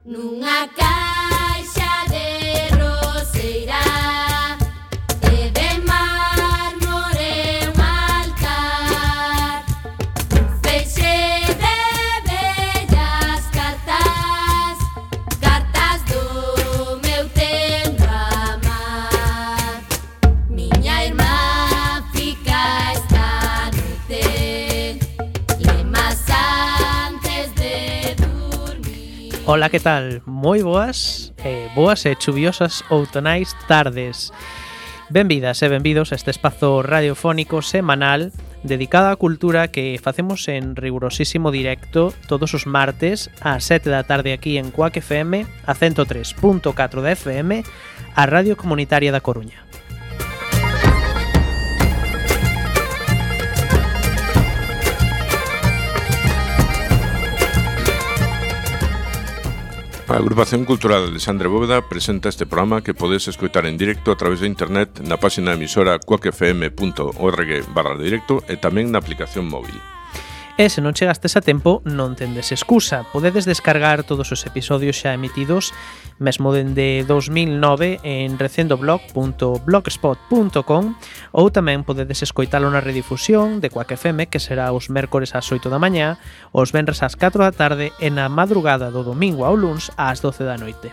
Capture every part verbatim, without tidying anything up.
Nunha caixa de roseira e de mármore un altar, un feixe de bellas cartas, cartas do meu tendo amar. Miña irmá fica esta noite lemas antes de dormir. Ola, que tal? Moi boas, eh, boas e chuviosas outonais tardes. Benvidas e benvidos a este espazo radiofónico semanal dedicado á cultura que facemos en rigurosísimo directo todos os martes ás sete da tarde aquí en Cuac F M, a ciento tres punto catro da F M, a Radio Comunitaria da Coruña. A Agrupación Cultural Alexandre Bóveda presenta este programa que podes escoitar en directo a través de internet na página emisora cuacfm punto org barra directo e tamén na aplicación móvil. E se non chegastes a tempo, non tendes excusa. Podedes descargar todos os episodios xa emitidos mesmo dende dos mil nove en recendoblog punto blogspot punto com ou tamén podedes escoitalo na redifusión de Cuac F M, que será os mércores ás oito da mañá, os venres ás catro da tarde e na madrugada do domingo ao luns ás doce da noite.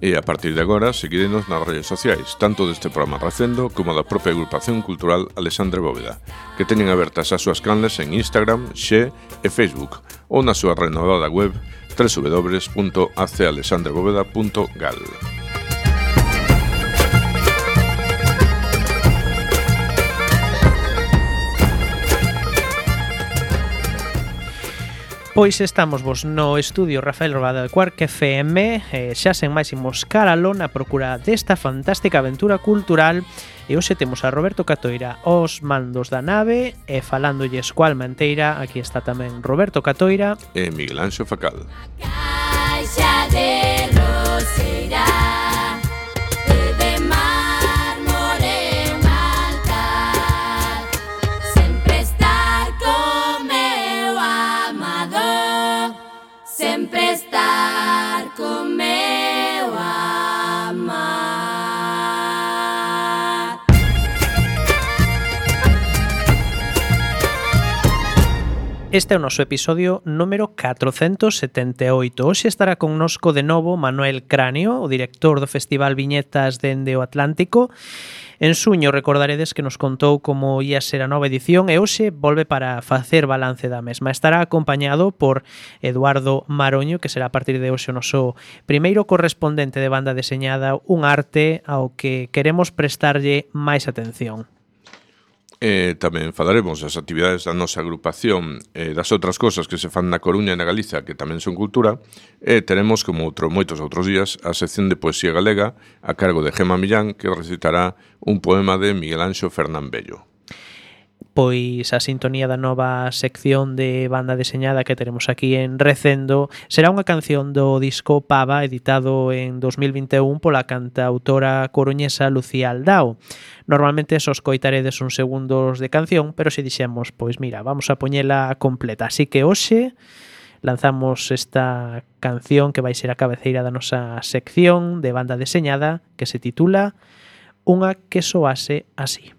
E a partir de agora, seguirenos nas redes sociais, tanto deste programa Recendo como da propia Agrupación Cultural Alexandre Bóveda, que teñen abertas as súas canles en Instagram, Xe e Facebook, ou na súa renovada web w w w punto a c alexandre bóveda punto gal. Pois estamos vos no estudio Rafael Robada de Cuac F M, eh, xa sen máis imos caralón a procura desta fantástica aventura cultural, e hoxe temos a Roberto Catoira aos mandos da nave, e falándolles coa alma enteira, aquí está tamén Roberto Catoira e Miguel Anxo Facal. Caixa de roseira e de mármore un altar, sempre estar con meu amado, sempre estar con meu amar. Este é o noso episodio número catrocentos setenta e oito. Hoxe estará connosco de novo Manuel Cráneo, o director do Festival Viñetas dende o Atlántico. En suño recordaredes que nos contou como ia ser a nova edición e hoxe volve para facer balance da mesma. Estará acompañado por Eduardo Maroño, que será a partir de hoxe o noso primeiro correspondente de banda deseñada, un arte ao que queremos prestarlle máis atención. E tamén falaremos das actividades da nosa agrupación e das outras cosas que se fan na Coruña e na Galiza, que tamén son cultura, e teremos, como outro, moitos outros días, a sección de poesía galega a cargo de Gema Millán, que recitará un poema de Miguel Anxo Fernán Bello. Pois a sintonía da nova sección de banda deseñada que teremos aquí en Recendo será unha canción do disco Pava, editado en dos mil vinte e un pola cantautora coruñesa Lucía Aldao. Normalmente só escoitaredes uns segundos de canción, pero se dixemos, pois mira, vamos a poñela completa. Así que hoxe lanzamos esta canción que vai ser a cabeceira da nosa sección de banda deseñada, que se titula Unha que soase así.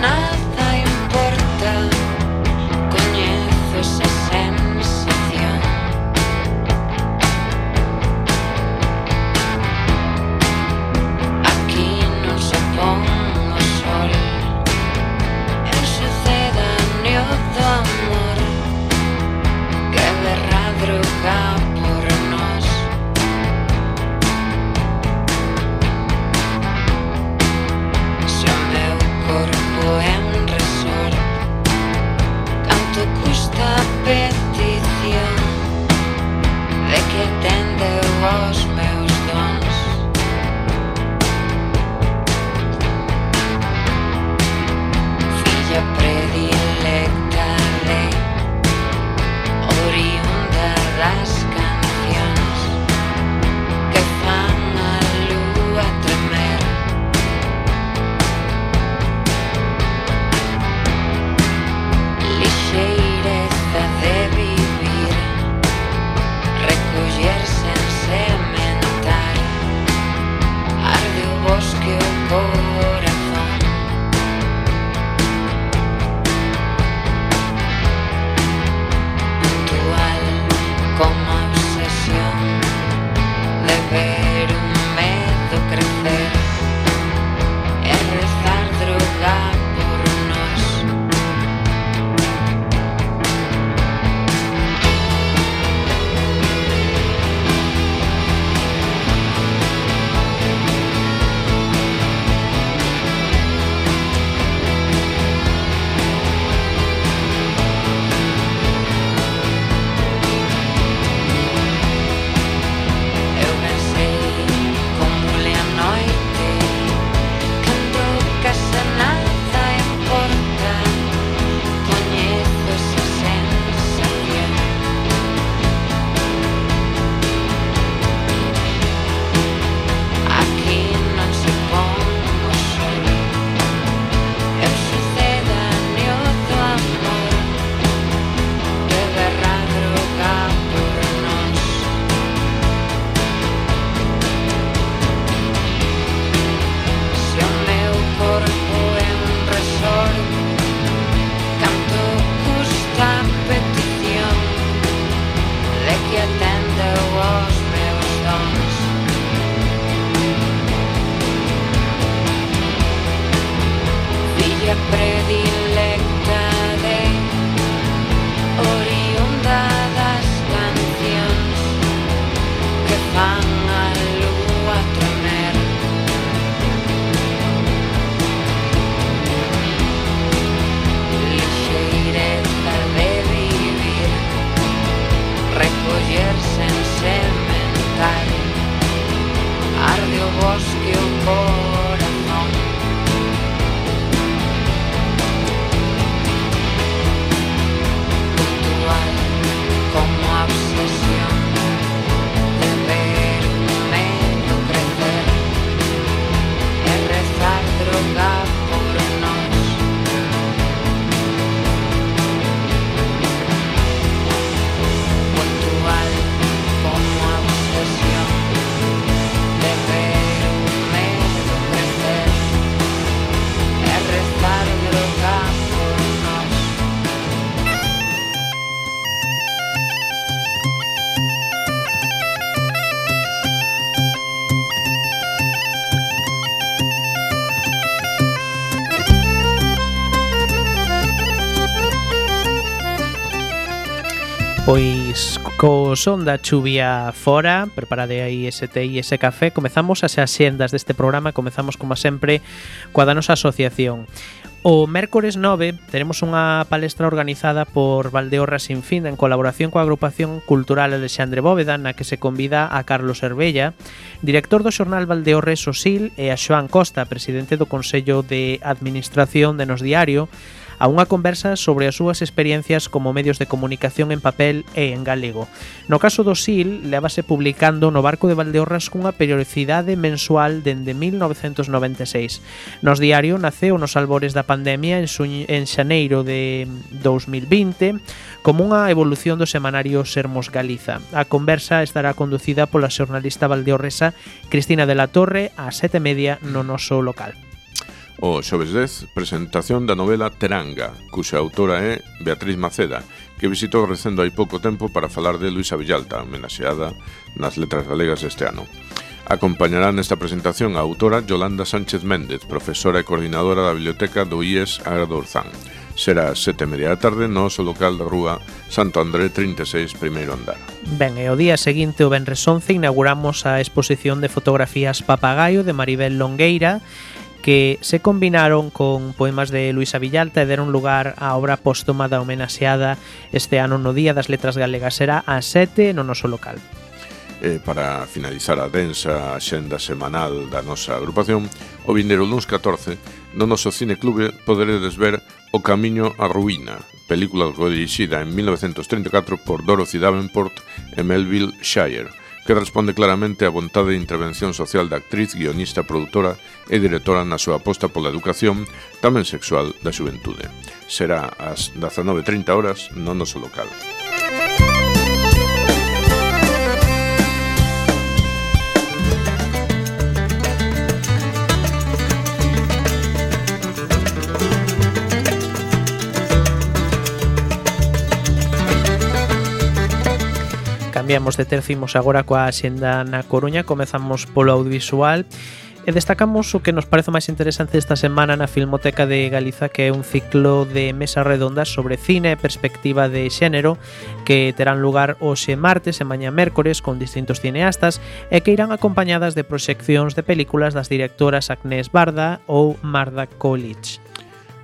Nada importa, coñezo esa sensación. Pois co son da chuvia fora, preparade aí ese té e ese café, comezamos as axendas deste programa, comezamos como sempre coa da nosa asociación. O mércores nove teremos unha palestra organizada por Valdeorras Sin Fin en colaboración coa agrupación cultural Alexandre Bóveda, na que se convida a Carlos Herbella, director do xornal Valdeorres Osil, e a Xoán Costa, presidente do Consello de Administración de Nos Diario, a unha conversa sobre as súas experiencias como medios de comunicación en papel e en galego. No caso do S I L, levase publicando no Barco de Valdeorras cunha periodicidade mensual dende mil novecentos noventa e seis. Nos Diario naceu nos albores da pandemia en, suñ, en xaneiro de dous mil vinte como unha evolución do semanario Sermos Galiza. A conversa estará conducida pola xornalista valdeorresa Cristina de la Torre ás sete e media no noso local. O xoves dez, presentación da novela Teranga, cuxa autora é Beatriz Maceda, que visitou Recendo hai pouco tempo para falar de Luisa Villalta, homenaxeada nas letras galegas este ano. Acompañará nesta presentación a autora Yolanda Sánchez Méndez, profesora e coordinadora da biblioteca do I E S Agra do Orzán. Será a sete e media da tarde no noso local da rúa Santo André trinta e seis, primeiro andar. Ben, e o día seguinte, o venres once, inauguramos a exposición de fotografías Papagaio de Maribel Longueira, que se combinaron con poemas de Luisa Villalta e deron lugar á obra póstuma da homenaxeada este ano no Día das Letras Galegas. Será ás sete no noso local. E para finalizar a densa axenda semanal da nosa agrupación, o vindeiro luns catorce, no noso cineclube poderedes ver O Camiño á Ruína, película dirixida en mil novecentos treinta e catro por Dorothy Davenport e Melville Shire, que responde claramente á vontade de intervención social da actriz, guionista, produtora e directora na súa aposta pola educación, tamén sexual, da xuventude. Será ás dezanove e trinta horas no noso local. Cambiamos de tercio, imos agora coa axenda na Coruña. Comezamos polo audiovisual e destacamos o que nos parece máis interesante esta semana na Filmoteca de Galiza, que é un ciclo de mesas redondas sobre cine e perspectiva de xénero que terán lugar hoxe martes e mañá mércores con distintos cineastas e que irán acompañadas de proxeccións de películas das directoras Agnès Barda ou Marda Coolidge.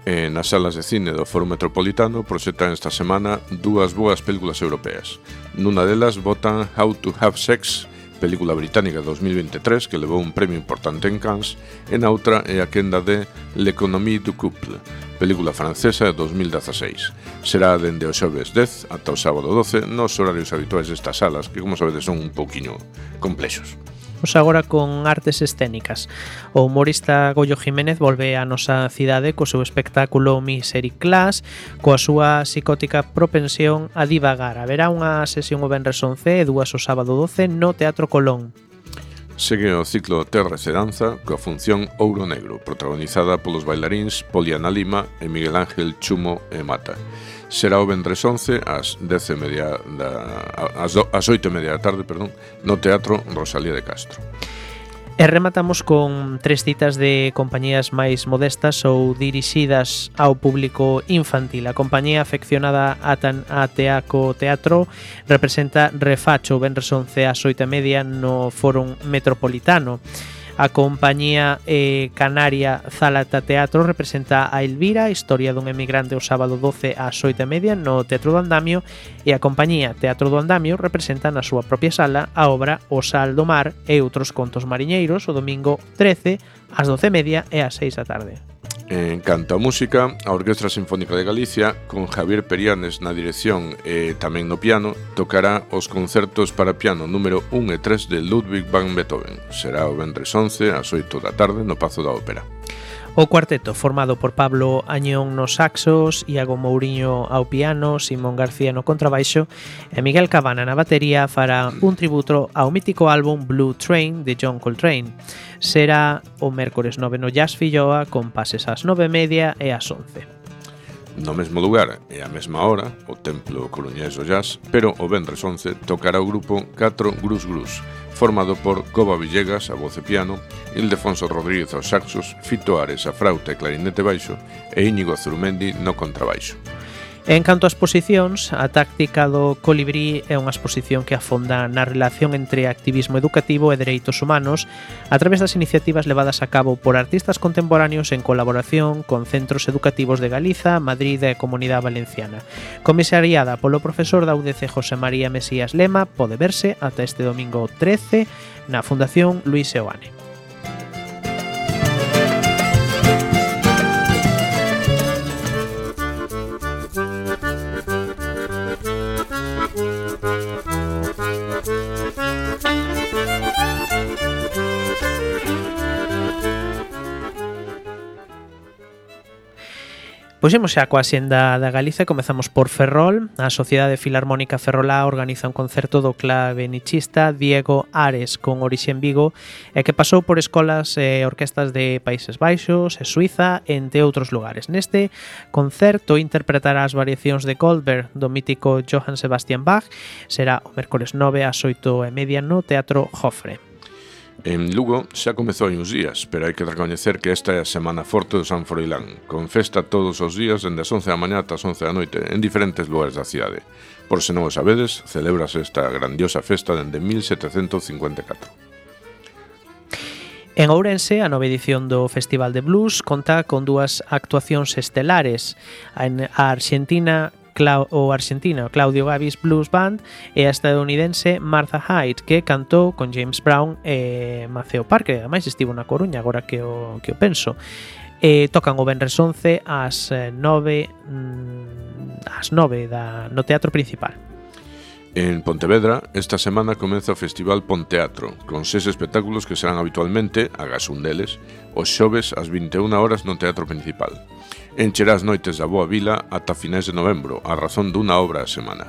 E nas salas de cine do Foro Metropolitano proxectan esta semana dúas boas películas europeas. Nuna delas botan How to Have Sex, película británica de dos mil veintitrés que levou un premio importante en Cannes, e na outra é a quenda de L'Économie du Couple, película francesa de dos mil dieciséis. Será dende o xoves dez ata o sábado doce nos horarios habituais destas salas, que como sabedes son un pouquiño complexos. Vamos agora con artes escénicas. O humorista Goyo Jiménez volve á nosa cidade co seu espectáculo Misery Class, coa súa psicótica propensión a divagar. Haberá unha sesión o venres once e dúas o sábado doce no Teatro Colón. Segue o ciclo Terres e Danza coa función Ouro Negro, protagonizada polos bailaríns Poliana Lima e Miguel Ángel Chumo e Mata. Será o venres once ás dez e media da ás, ás oito e media da tarde, perdón, no Teatro Rosalía de Castro. E rematamos con tres citas de compañías máis modestas ou dirixidas ao público infantil. A compañía afeccionada a, tan, a Teaco Teatro representa Refacho o venres once ás oito e media no Fórum Metropolitano. A compañía eh, canaria Zalata Teatro representa a Elvira, historia dun emigrante, o sábado doce ás oito e media no Teatro do Andamio, e a compañía Teatro do Andamio representa na súa propia sala a obra O Sal do Mar e outros contos mariñeiros o domingo trece ás doce e media e ás seis da tarde. En canto a música, a Orquestra Sinfónica de Galicia, con Javier Perianes na dirección e tamén no piano, tocará os concertos para piano número un e tres de Ludwig van Beethoven. Será o venres once ás oito da tarde no Pazo da Ópera. O cuarteto, formado por Pablo Añón nos saxos, Iago Mouriño ao piano, Simón García no contrabaixo e Miguel Cabana na batería, fará un tributo ao mítico álbum Blue Train de John Coltrane. Será o mércores nove no Jazz Filloa, con pases ás nove e media e ás once. No mesmo lugar e á mesma hora, o Templo Coruñés do Jazz, pero o venres once tocará o grupo catro Grus Grus, formado por Coba Villegas a voz e piano, Ildefonso Rodríguez aos saxos, Fito Ares a frauta e clarinete baixo e Íñigo Zurumendi no contrabaixo. En canto ás exposicións, a táctica do colibrí é unha exposición que afonda na relación entre activismo educativo e dereitos humanos a través das iniciativas levadas a cabo por artistas contemporáneos en colaboración con centros educativos de Galiza, Madrid e Comunidade Valenciana. Comisariada polo profesor da U D C José María Mesías Lema, pode verse ata este domingo trece na Fundación Luis Seoane. Pois imos xa coa xenda da Galiza e comezamos por Ferrol. A Sociedade Filarmónica Ferrolá organiza un concerto do clavenichista Diego Ares con orixe en Vigo e que pasou por escolas e orquestas de Países Baixos e Suiza, entre outros lugares. Neste concerto interpretará as variacións de Goldberg do mítico Johann Sebastian Bach. Será o mércores nove ás oito e media no Teatro Jofre. En Lugo xa comezou hai uns días, pero hai que recoñecer que esta é a Semana Forte do San Froilán, con festa todos os días dende as once da mañá ata as once da noite en diferentes lugares da cidade. Por se non o sabedes, celébrase esta grandiosa festa dende mil setecentos cincuenta e catro. En Ourense, a nova edición do Festival de Blues conta con dúas actuacións estelares. A arxentina Clau, o arxentino Claudio Gavis Blues Band e a estadounidense Martha Hyde, que cantou con James Brown e Maceo Parker, ademais estivo na Coruña, agora que o, que o penso. E tocan o venres once ás nove ás nove da, no Teatro Principal. En Pontevedra, esta semana comeza o Festival Ponteatro, con seis espectáculos que serán habitualmente, agás un deles, os xoves ás vinte e unha horas no Teatro Principal. Encherá as noites da Boa Vila ata finais de novembro, a razón dunha obra a semana.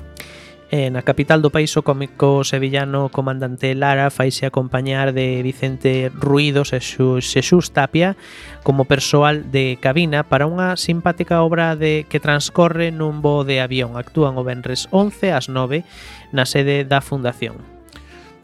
E na capital do país, o cómico sevillano Comandante Lara faise acompañar de Vicente Ruidos e Xesús Tapia como persoal de cabina para unha simpática obra de que transcorre nun voo de avión. Actúan o venres once ás nove na sede da Fundación.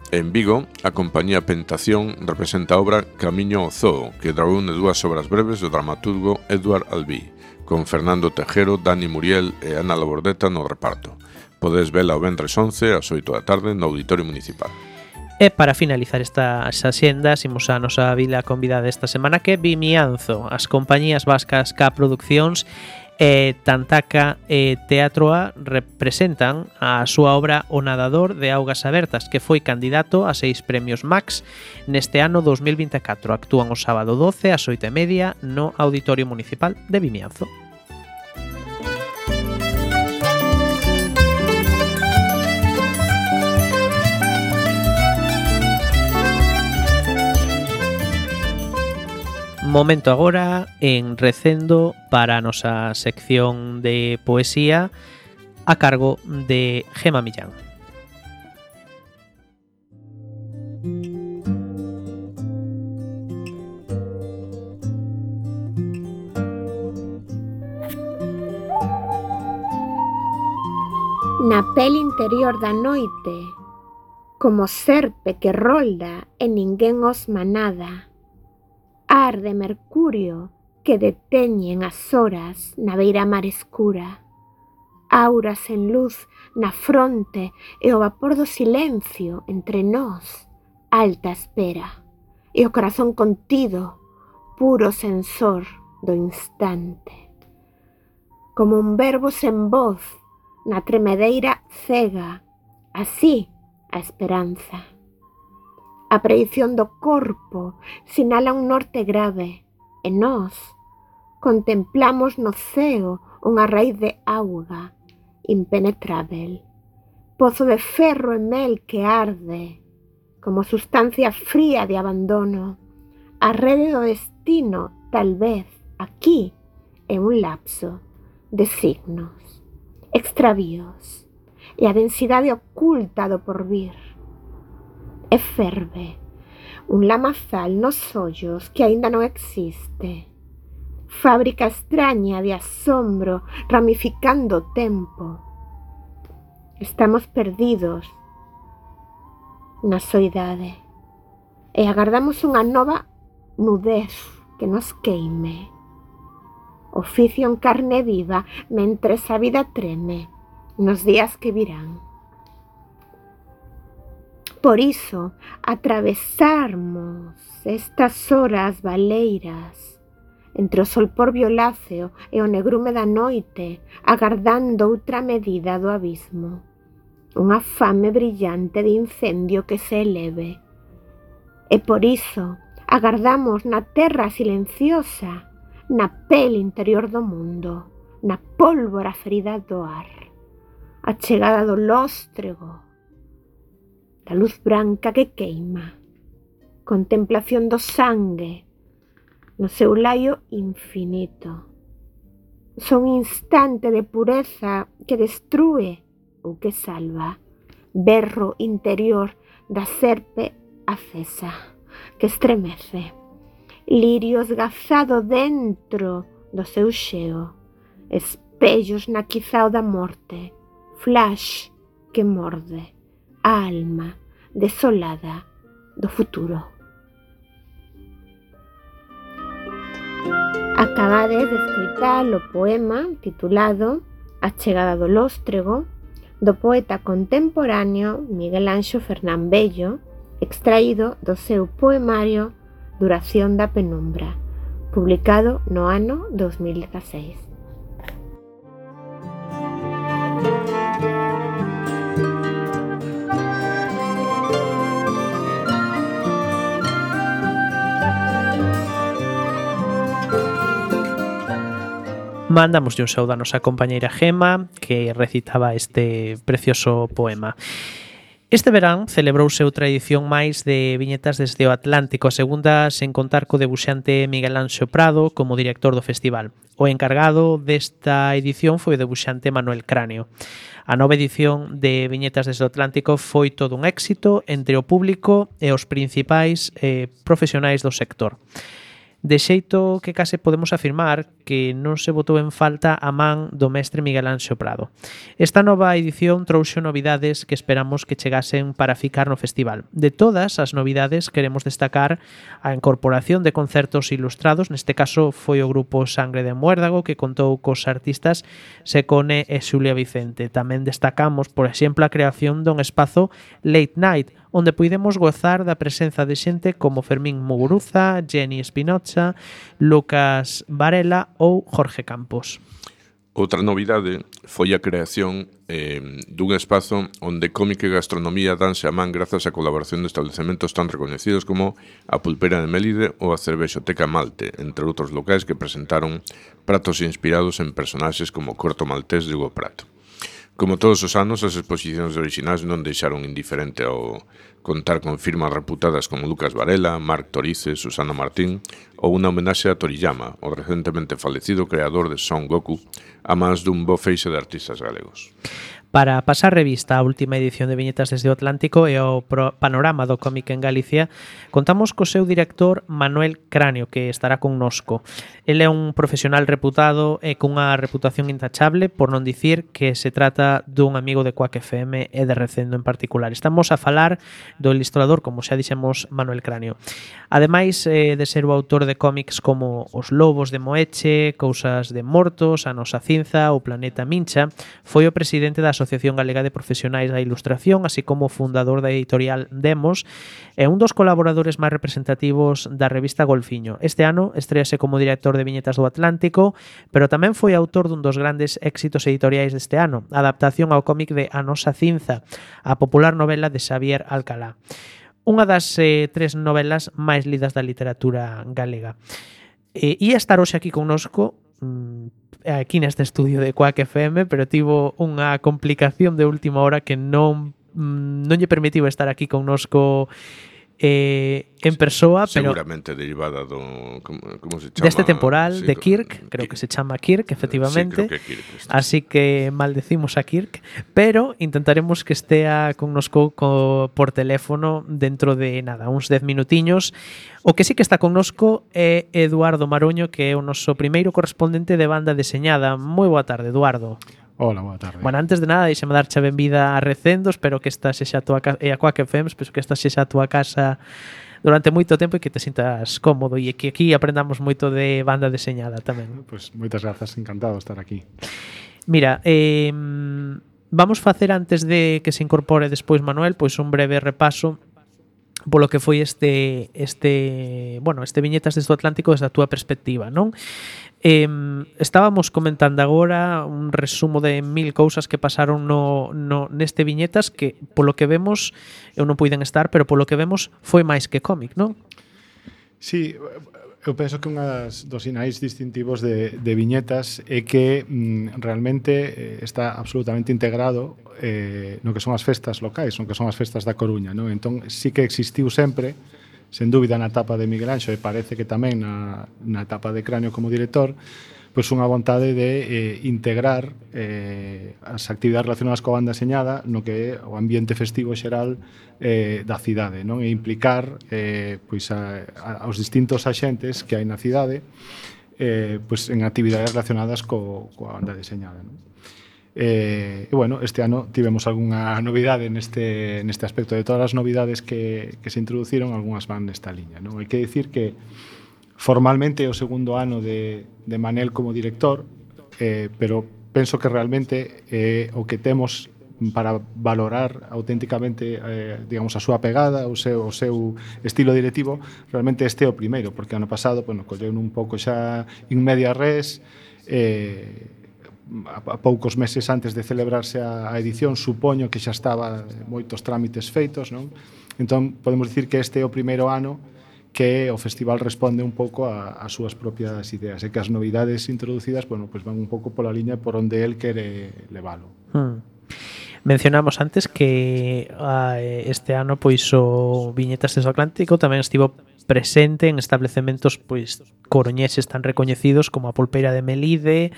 En Vigo, a compañía Pentación representa a obra Camiño ao Zoo, que reúne dúas obras breves do dramaturgo Edward Albí, con Fernando Tejero, Dani Muriel e Ana Labordeta no reparto. Podes vela o venres once ás oito da tarde no Auditorio Municipal. E para finalizar estas axendas, imos a nosa vila convidada esta semana, que é Vimianzo. As compañías vascas K Produccións e Tantaca e Teatroa representan a súa obra O Nadador de Augas Abertas, que foi candidato a seis premios Max neste ano dos mil vinte e catro. Actúan o sábado doce ás oito e media no Auditorio Municipal de Vimianzo. Momento agora en Recendo para a nosa sección de poesía a cargo de Gema Millán. Na pele interior da noite, como serpe que rolda e ninguén osma nada, arde mercurio que deteñen as horas na beira-mar escura, auras en luz na fronte e o vapor do silencio entre nós, alta espera, e o corazón contido, puro sensor do instante. Como un verbo sen voz na tremedeira cega, así a esperanza. A predición do corpo sinala un norte grave e nós contemplamos no ceo unha raíz de auga impenetrável, pozo de ferro e mel que arde como sustancia fría de abandono. A rede do destino, tal vez, aquí é un lapso de signos, extravíos e a densidade oculta do porvir. E ferve un lamazal nos ollos que aínda non existe, fábrica extraña de asombro ramificando o tempo. Estamos perdidos na soidade e agardamos unha nova nudez que nos queime. oficio en carne viva mentres a vida treme nos días que virán. Por iso, atravesarmos estas horas baleiras entre o solpor violáceo e o negrume da noite, agardando outra medida do abismo, unha fame brillante de incendio que se eleve. E por iso, agardamos na terra silenciosa, na pel interior do mundo, na pólvora ferida do ar, a chegada do lóstrego, da luz branca que queima, contemplación do sangue no seu laio infinito. Son instante de pureza que destrúe ou que salva, berro interior da serpe acesa que estremece, lirio esgazado dentro do seu xeo, espellos na quizao da morte, flash que morde a alma desolada do futuro. Acabades de escoitar o poema titulado A chegada do lóstrego, do poeta contemporáneo Miguel Anxo Fernán Bello, extraído do seu poemario Duración da penumbra, publicado no ano dos mil dieciséis. Mandamos un saúdo a nosa compañeira Gema, que recitaba este precioso poema. Este verán celebrouse outra edición máis de Viñetas desde o Atlántico, a segunda sen contar co debuxante Miguel Anxo Prado como director do festival. O encargado desta edición foi o debuxante Manuel Cráneo. A nova edición de Viñetas desde o Atlántico foi todo un éxito entre o público e os principais eh, profesionais do sector. De xeito que case podemos afirmar que non se botou en falta a man do mestre Miguel Anxo Prado. Esta nova edición trouxo novidades que esperamos que chegasen para ficar no festival. De todas as novidades queremos destacar a incorporación de concertos ilustrados, neste caso foi o grupo Sangre de Muérdago que contou cos artistas Secone e Xulia Vicente. Tamén destacamos, por exemplo, a creación dun espazo Late Night, onde puidemos gozar da presenza de xente como Fermín Muguruza, Jenny Espinocha, Lucas Varela ou Jorge Campos. Outra novidade foi a creación eh, dun espazo onde cómic e gastronomía danse a man grazas á colaboración de establecementos tan recoñecidos como a Pulpeira de Melide ou a Cervexoteca Malte, entre outros locais que presentaron pratos inspirados en personaxes como Corto Maltés de Hugo Pratt. Como todos os anos, as exposicións orixinais non deixaron indiferente ao contar con firmas reputadas como Lucas Varela, Marc Torice, Susana Martín ou unha homenaxe a Toriyama, o recentemente falecido creador de Son Goku, a máis dun bo feixe de artistas galegos. Para pasar revista á última edición de Viñetas desde o Atlántico e ao panorama do cómic en Galicia, contamos co seu director Manuel Cráneo, que estará connosco. Ele é un profesional reputado e cunha reputación intachable, por non dicir que se trata dun amigo de Quack F M e de Recendo en particular. Estamos a falar do ilustrador, como xa dixemos, Manuel Cráneo. Ademais eh, de ser o autor de cómics como Os Lobos de Moeche, Cousas de Mortos, A Nosa Cinza, O Planeta Mincha, foi o presidente da Asociación Galega de Profesionais da Ilustración, así como fundador da editorial Demos e un dos colaboradores máis representativos da revista Golfiño. Este ano estrease como director de Viñetas do Atlántico, pero tamén foi autor dun dos grandes éxitos editoriais deste ano, a adaptación ao cómic de A Nosa Cinza, a popular novela de Xavier Alcalá. Unha das eh, tres novelas máis lidas da literatura galega. E ia estar hoxe aquí connosco aquí neste estudio de Quack F M, pero tivo unha complicación de última hora que non non lle permitiu estar aquí connosco eh, en persoa, pero seguramente derivada do como, como se chama deste temporal sí, de Kirk, creo que se chama Kirk, efectivamente. Sí, creo que Kirk está. Así que maldecimos a Kirk, pero intentaremos que estea connosco co, por teléfono dentro de nada, uns dez minutiños. O que sí que está connosco é Eduardo Maroño, que é o noso primeiro correspondente de banda deseñada. Moi boa tarde, Eduardo. Hola, boa tarde. Bueno, antes de nada, deixame darche a benvida a Recendo, espero que esta sexa a tua casa, e a Quack F M, espero que esta sexa a tua casa durante moito tempo e que te sintas cómodo e que aquí aprendamos moito de banda deseñada tamén. Pois moitas grazas, encantado de estar aquí. Mira, eh, vamos facer antes de que se incorpore despois Manuel, pois un breve repaso polo que foi este este, bueno, este Viñetas desde o Atlántico desde a túa perspectiva, non? Eh, estábamos comentando agora un resumo de mil cousas que pasaron no, no neste Viñetas que polo que vemos, eu non puiden estar, pero polo que vemos foi máis que cómic, non? Sí, eu penso que un dos sinais distintivos de, de Viñetas é que mm, realmente eh, está absolutamente integrado eh, no que son as festas locais, no que son as festas da Coruña, non? Entón, sí que existiu sempre, sen dúbida na etapa de Miguel Anxo e parece que tamén na, na etapa de Cráneo como director, pois unha vontade de eh, integrar eh, as actividades relacionadas coa banda deseñada no que é o ambiente festivo xeral eh, da cidade, non? E implicar eh, pois a, a, aos distintos axentes que hai na cidade eh, pois en actividades relacionadas co, coa banda deseñada, non? Eh, e bueno, este ano tivemos algunha novidade neste, neste aspecto. De todas as novidades que, que se introduciron, algunhas van nesta liña, non? Hai que dicir que formalmente é o segundo ano de, de Manel como director, eh, pero penso que realmente eh, o que temos para valorar auténticamente eh, digamos, a súa pegada, o seu, o seu estilo directivo, realmente este é o primeiro, porque ano pasado, bueno, colleu un pouco xa in media res, eh, a poucos meses antes de celebrarse a edición, supoño que xa estaba moitos trámites feitos, non? Entón, podemos dicir que este é o primeiro ano que o festival responde un pouco a, a súas propias ideas e que as novidades introducidas, bueno, pues van un pouco pola liña por onde el quere leválo. Hmm. Mencionamos antes que a, este ano pois o Viñetas desde o Atlántico tamén estivo presente en establecementos pois coruñeses tan recoñecidos como a Pulpeira de Melide,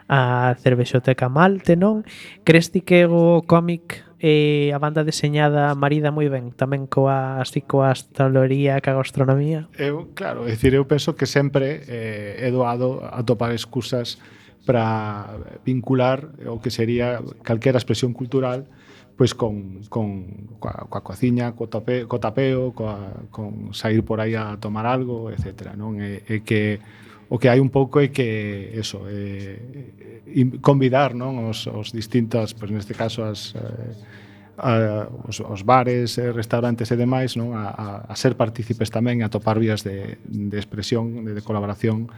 a Cervexoteca Malte, non? Crees ti que o cómic e a banda deseñada marida moi ben tamén coa, así coa hostalería, coa gastronomía? Eu, claro, é dicir, eu penso que sempre eh, é doado atopar excusas para vincular o que sería calquera expresión cultural pois con, con coa, coa cociña, co, tape, co tapeo, coa, con sair por aí a tomar algo, etcétera, non? E, e que o que hai un pouco é que eso, eh, convidar, non, os, os distintos, pois neste caso as eh, a, os, os bares, eh, restaurantes e demais, non, a, a, a ser partícipes tamén, a topar vías de, de expresión, de, de colaboración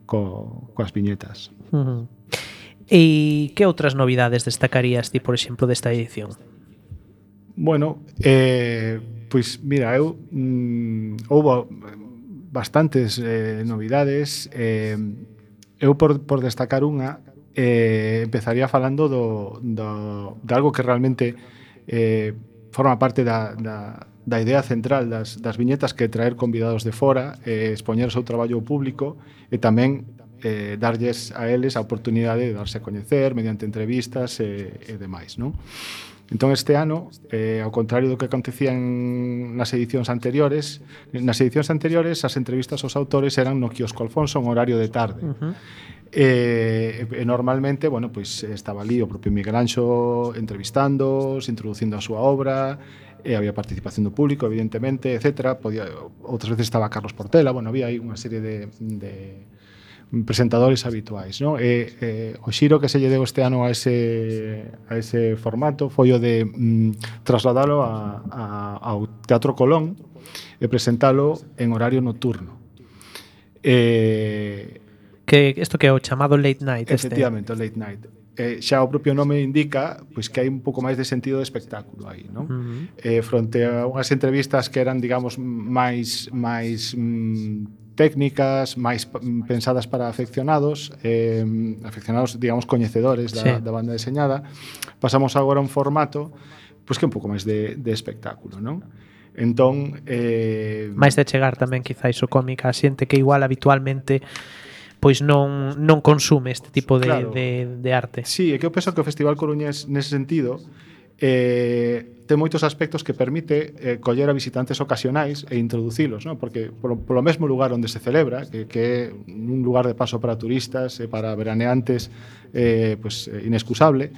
co, coas viñetas. Uh-huh. E que outras novidades destacarías ti, por exemplo, desta edición? Bueno, eh, pois mira, eu mm, houbo bastantes eh, novidades. Eh, eu por, por destacar unha, eh, empezaría falando do, do, de algo que realmente eh, forma parte da, da, da idea central das, das viñetas, que é traer convidados de fora, eh, expoñer o seu traballo público e tamén eh, darlles a eles a oportunidade de darse a coñecer mediante entrevistas e, e demais, non? Entón, este ano, eh, ao contrario do que acontecía en, nas edicións anteriores, nas edicións anteriores as entrevistas aos autores eran no quiosco Alfonso en horario de tarde. Uh-huh. E, e normalmente, bueno, pois estaba ali o propio Miguel Anxo entrevistando, introducindo a súa obra, e había participación do público, evidentemente, etcétera. Podía, outras veces estaba Carlos Portela, bueno, había aí unha serie de, de presentadores habituais, non? E, e o xiro que se lle deu este ano a ese, a ese formato foi o de mm, trasladalo a, a, ao Teatro Colón e presentalo en horario nocturno. E, que isto que é o chamado late night. Efectivamente, este. O late night. Eh, xa o propio nome indica pois que hai un pouco máis de sentido de espectáculo aí, non? Uh-huh. Eh, fronte a unhas entrevistas que eran, digamos, máis máis mm, técnicas, máis pensadas para afeccionados, eh, afeccionados, digamos, coñecedores da, sí. da banda deseñada, pasamos agora a un formato pois que é un pouco máis de, de espectáculo, non? Entón, eh, máis de chegar tamén quizáis o cómic a xente que igual habitualmente pois non, non consume este tipo de, claro, de, de arte. Sí, é que eu penso que o Festival Coruñés nese sentido eh, ten moitos aspectos que permite eh, coller a visitantes ocasionais e introducilos, ¿no? Porque polo, polo mesmo lugar onde se celebra, que, que é un lugar de paso para turistas e para veraneantes eh, pues, inexcusable,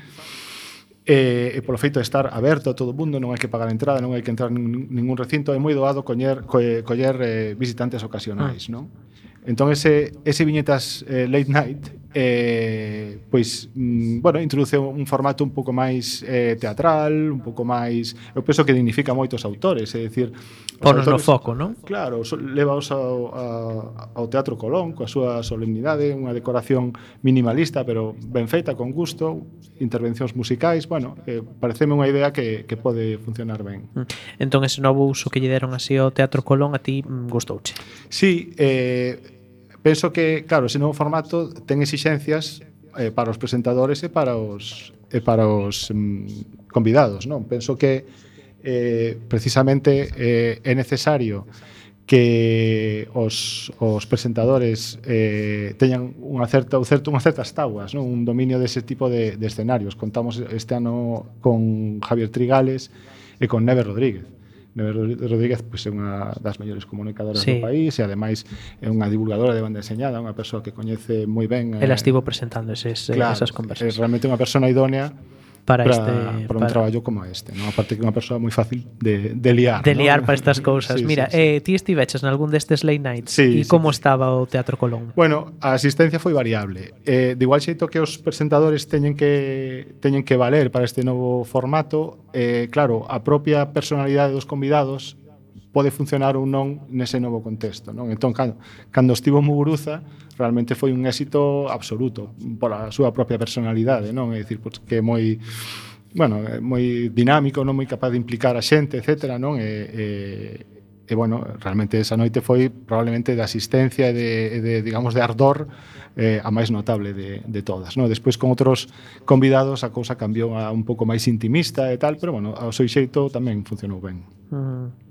e, e polo feito de estar aberto a todo o mundo, non hai que pagar a entrada, non hai que entrar en ningún recinto, é moi doado coller, coller, coller eh, visitantes ocasionais, non? Entón, ese, ese viñetas eh, late night, eh, pois, mm, bueno, introduce un formato un pouco máis eh, teatral, un pouco máis... Eu penso que dignifica moitos autores, é dicir... Ponos no foco, non? Claro, so, levaos ao, a, ao Teatro Colón, coa súa solemnidade, unha decoración minimalista, pero ben feita, con gusto, intervencións musicais, bueno, eh, pareceme unha idea que, que pode funcionar ben. Entón, ese novo uso que lle deron así ao Teatro Colón, a ti mm, gustouche? Sí, eh... penso que, claro, ese novo formato ten exixencias eh, para os presentadores e para os, e para os mm, convidados, non? Penso que eh, precisamente eh, é necesario que os, os presentadores eh, teñan unha certa, un certo, unhas certas tabuas, non? Un dominio dese tipo de, de escenarios. Contamos este ano con Javier Trigales e con Neve Rodríguez. Neve Rodríguez pois, é unha das mellores comunicadoras sí. do país e ademais é unha divulgadora de banda deseñada, unha persoa que coñece moi ben. Ela estivo presentando eses, claro, esas conversas. É realmente unha persona idónea para, para, este, para un para... traballo como este, ¿no? Aparte que é unha persoa moi fácil de, de liar. De liar ¿no? para estas cousas. Sí, Mira, sí, sí. Eh, ti estiveches nalgún destes late nights sí, e como sí. estaba o Teatro Colón? Bueno, a asistencia foi variable. Eh, de igual xeito que os presentadores teñen que teñen que valer para este novo formato, eh, claro, a propia personalidade dos convidados pode funcionar ou non nese novo contexto, non? Entón, cando, cando estivo Muguruza, realmente foi un éxito absoluto pola súa propia personalidade, non? É dicir, pois, que é moi, bueno, é moi dinámico, non, moi capaz de implicar a xente, etcétera, non? E, e, e bueno, realmente esa noite foi probablemente de asistencia e de, de, digamos, de ardor eh, a máis notable de, de todas, non? Despois con outros convidados a cousa cambiou a un pouco máis intimista e tal, pero bueno, ao seu xeito tamén funcionou ben. Mm.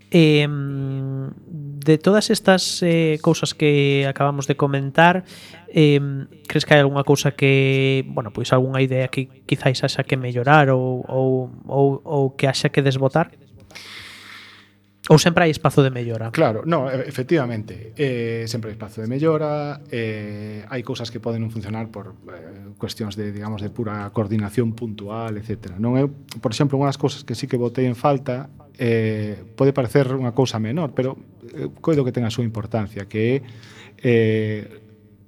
Eh, de todas estas eh, cousas que acabamos de comentar, eh, crees que hai algunha cousa que, bueno, pois algunha idea que quizáis haxa que mellorar ou, ou, ou, ou que haxa que desbotar? Ou sempre hai espazo de mellora? Claro, no, efectivamente, eh, sempre hai espazo de mellora, eh, hai cousas que poden non funcionar por eh, cuestións de, digamos, de pura coordinación puntual, etcétera. Non é, por exemplo, unha das cousas que sí que botei en falta, eh, pode parecer unha cousa menor, pero eh, coido que ten a súa importancia, que é eh,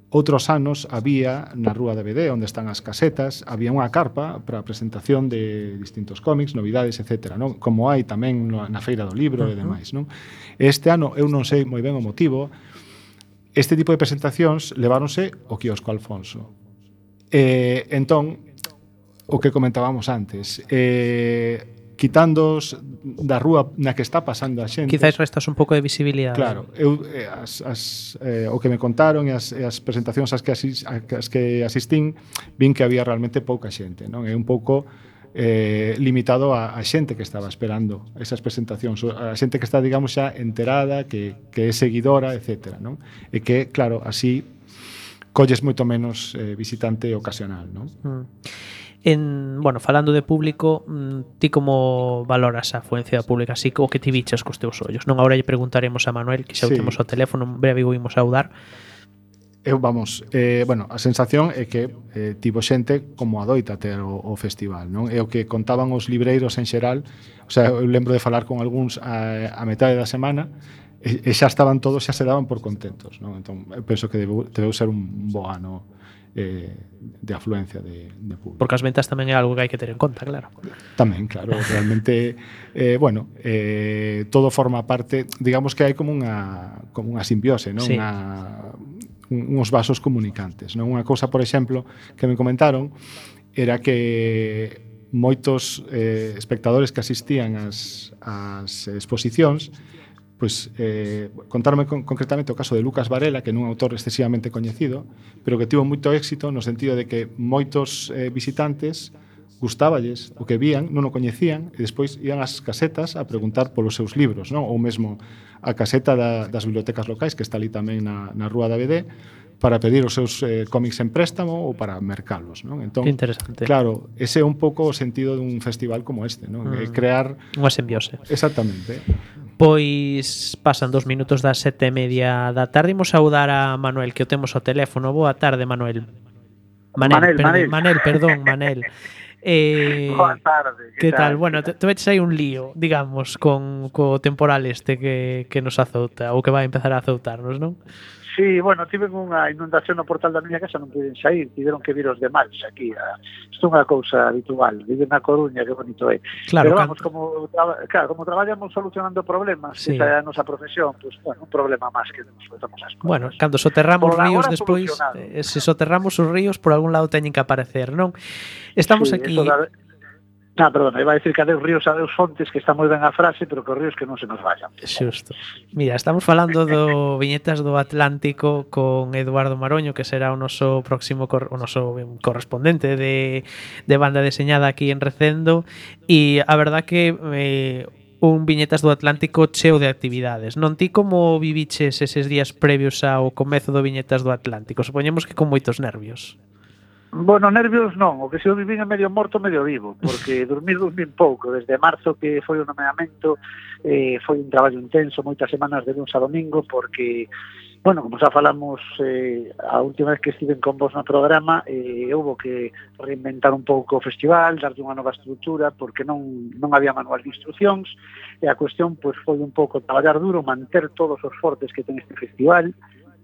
outros anos había na Rúa de B D, onde están as casetas, había unha carpa para a presentación de distintos cómics, novidades, etcétera, non? Como hai tamén na Feira do Libro uh-huh. e demais, non? Este ano, eu non sei moi ben o motivo, este tipo de presentacións leváronse ao quiosco Alfonso. Eh, entón, o que comentábamos antes, eh, quitándoos da rúa na que está pasando a xente. Quizás restas un pouco de visibilidade. Claro, eu eh, as, as, eh, o que me contaron e as, e as presentacións ás que, asis, as que asistín, vin que había realmente pouca xente, non? É un pouco eh, limitado a, a xente que estaba esperando esas presentacións, a xente que está, digamos, xa enterada, que, que é seguidora, etcétera, non? E que, claro, así colles moito menos eh, visitante ocasional, non? Mm. En, bueno, falando de público, ti como valoras a afluencia pública, así o que ti viches cos teus ollos? Non, agora lle preguntaremos a Manuel, que xa o sí. temos ao teléfono, breve vimos saudar. Eu, vamos, eh, bueno, a sensación é que eh, tivo xente como adoita ter o, o festival, non? É o que contaban os libreiros en xeral, o sea, eu lembro de falar con algúns a, a metade da semana, e, e xa estaban todos, xa se daban por contentos, non? Entón, eu penso que debeu, debeu ser un bo ano eh, de afluencia de, de público. Porque as ventas tamén é algo que hai que ter en conta, claro. Tamén, claro, realmente eh, bueno, eh, todo forma parte, digamos que hai como unha como unha simbiose, non? Sí. Unha, uns vasos comunicantes, non? Unha cousa, por exemplo, que me comentaron era que moitos eh, espectadores que asistían ás, ás exposicións pois eh, contarme con, concretamente o caso de Lucas Varela, que non é un autor excesivamente coñecido, pero que tivo moito éxito no sentido de que moitos eh, visitantes gustáballes o que vían, non o coñecían, e despois ian ás casetas a preguntar polos seus libros, non? Ou mesmo a caseta da, das bibliotecas locais, que está ali tamén na, na Rúa da B D, para pedir os seus eh, cómics en préstamo ou para mercalos, non? Entón, que interesante. Claro, ese é un pouco o sentido dun festival como este, non? Mm. Crear unha simbiose. Exactamente. Pois pasan dos minutos das sete e media da tarde. Imos saudar a Manuel, que o temos ao teléfono. Boa tarde, Manuel. Manel, Manel, perdón, Manel. Manel, perdón, Manel. Eh, Boa tarde. que tal? Bueno, Que te, te veches aí un lío, digamos, con co temporal este que, que nos azouta ou que vai empezar a azoutarnos, non? Sí, bueno, tiven unha inundación no portal da miña casa, non puiden sair, tiveron que vir os demais aquí. A... Isto é unha cousa habitual, vive na Coruña, que bonito é. Claro, Pero can... vamos, como, traba... claro, como traballamos solucionando problemas, Sí. esa é a nosa profesión, pues, bueno, un problema máis que nos soltamos as cosas. Bueno, cando soterramos Por ríos agora despois, solucionado. eh, se soterramos os ríos por algún lado teñen que aparecer, non? Estamos Sí, aquí... eso da... Ah, perdón, iba a decir que adeus ríos, adeus fontes, que está moi ben a frase, pero que os ríos que non se nos vayan. Xusto. Mira, estamos falando do Viñetas do Atlántico con Eduardo Maroño, que será o noso próximo cor, o noso correspondente de, de banda deseñada aquí en Recendo, e a verdad que eh, un Viñetas do Atlántico cheo de actividades. Non ti como viviches eses días previos ao comezo do Viñetas do Atlántico? Supoñemos que con moitos nervios. Bueno, nervios non, o que se eu vivín é medio morto, medio vivo, porque dormir dormir pouco, desde marzo que foi o nomeamento, eh, foi un traballo intenso, moitas semanas de luns a domingo, porque, bueno, como xa falamos eh, a última vez que estiven con vos no programa, eh, houve que reinventar un pouco o festival, darlle unha nova estrutura, porque non, non había manual de instruccións, e a cuestión pois, foi un pouco traballar duro, manter todos os fortes que ten este festival,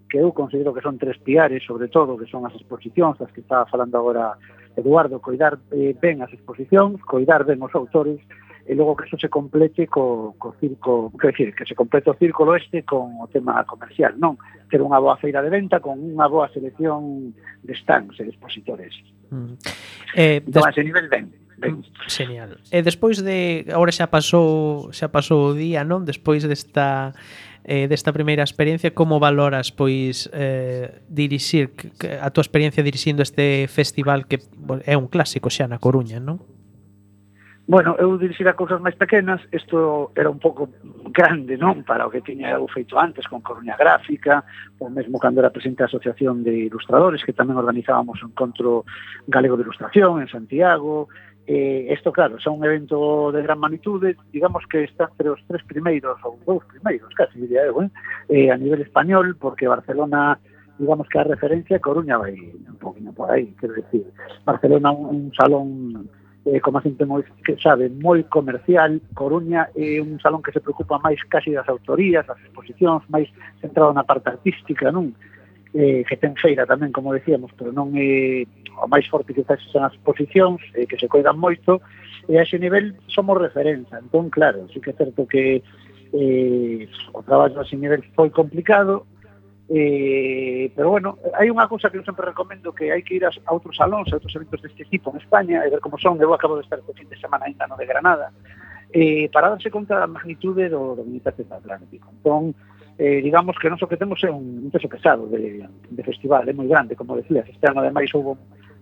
que eu considero que son tres piares, sobre todo, que son as exposicións, as que estaba falando agora Eduardo, coidar eh, ben as exposicións, coidar ben os autores, e logo que eso se complete co, co circo, quer decir, que se complete o círculo este con o tema comercial, non? Ter unha boa feira de venta con unha boa selección de stands e de expositores. Mm. Eh, Entón, des... a ese nivel, ben. Ben. Genial. E despois de agora xa pasou, xa pasou o día, non? Despois desta eh, desta primeira experiencia, como valoras pois eh, dirixir que, a túa experiencia dirixindo este festival que bueno, é un clásico xa na Coruña, non? Bueno, eu dirixir a cousas máis pequenas, isto era un pouco grande, non? Para o que tiña eu feito antes con Coruña Gráfica, ou mesmo cando era presidente da Asociación de Ilustradores, que tamén organizábamos un encontro galego de ilustración en Santiago. Eh, isto, claro, é un evento de gran magnitude, digamos que está entre os tres primeiros, ou dous primeiros, casi diría eu, eh? Eh, a nivel español, porque Barcelona, digamos que a referencia, Coruña vai un poquinho por aí, quero decir, Barcelona un, un salón, eh, como a xente moi, que sabe, moi comercial, Coruña é un salón que se preocupa máis casi das autorías, das exposicións, máis centrado na parte artística, non? Eh, que ten feira tamén, como decíamos, pero non é o máis forte que está son as exposicións, eh, que se coidan moito, e a ese nivel somos referencia. Entón, claro, sí que é certo que eh, o traballo a ese nivel foi complicado, eh, pero bueno, hai unha cousa que eu sempre recomendo, que hai que ir a, a outros salóns, a outros eventos deste tipo en España, e ver como son. Eu acabo de estar este fin de semana ainda no de Granada, eh, para darse conta da magnitude do, do Viñetas do Atlántico. Entón, eh, digamos que non só que temos é un, un peso pesado de, de festival, é moi grande, como decías, este ano ademais houve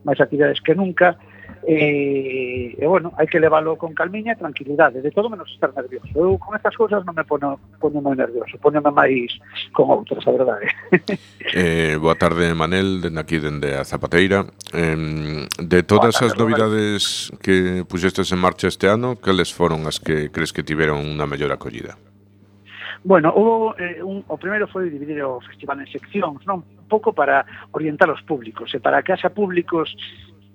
máis actividades que nunca, e, e bueno, hai que leválo con calmiña e tranquilidade, de todo menos estar nervioso. Eu con estas cousas non me pono, pono moi nervioso, ponome máis con outras, a verdade. Eh, boa tarde, Manel, dende aquí, dende a Zapateira. Eh, de todas as novidades que puxestes en marcha este ano, cales foron as que crees que tiveron unha mellor acollida? Bueno, hubo, eh, un, o primeiro foi dividir o festival en seccións, non? Un pouco para orientar os públicos, e para que haxa públicos,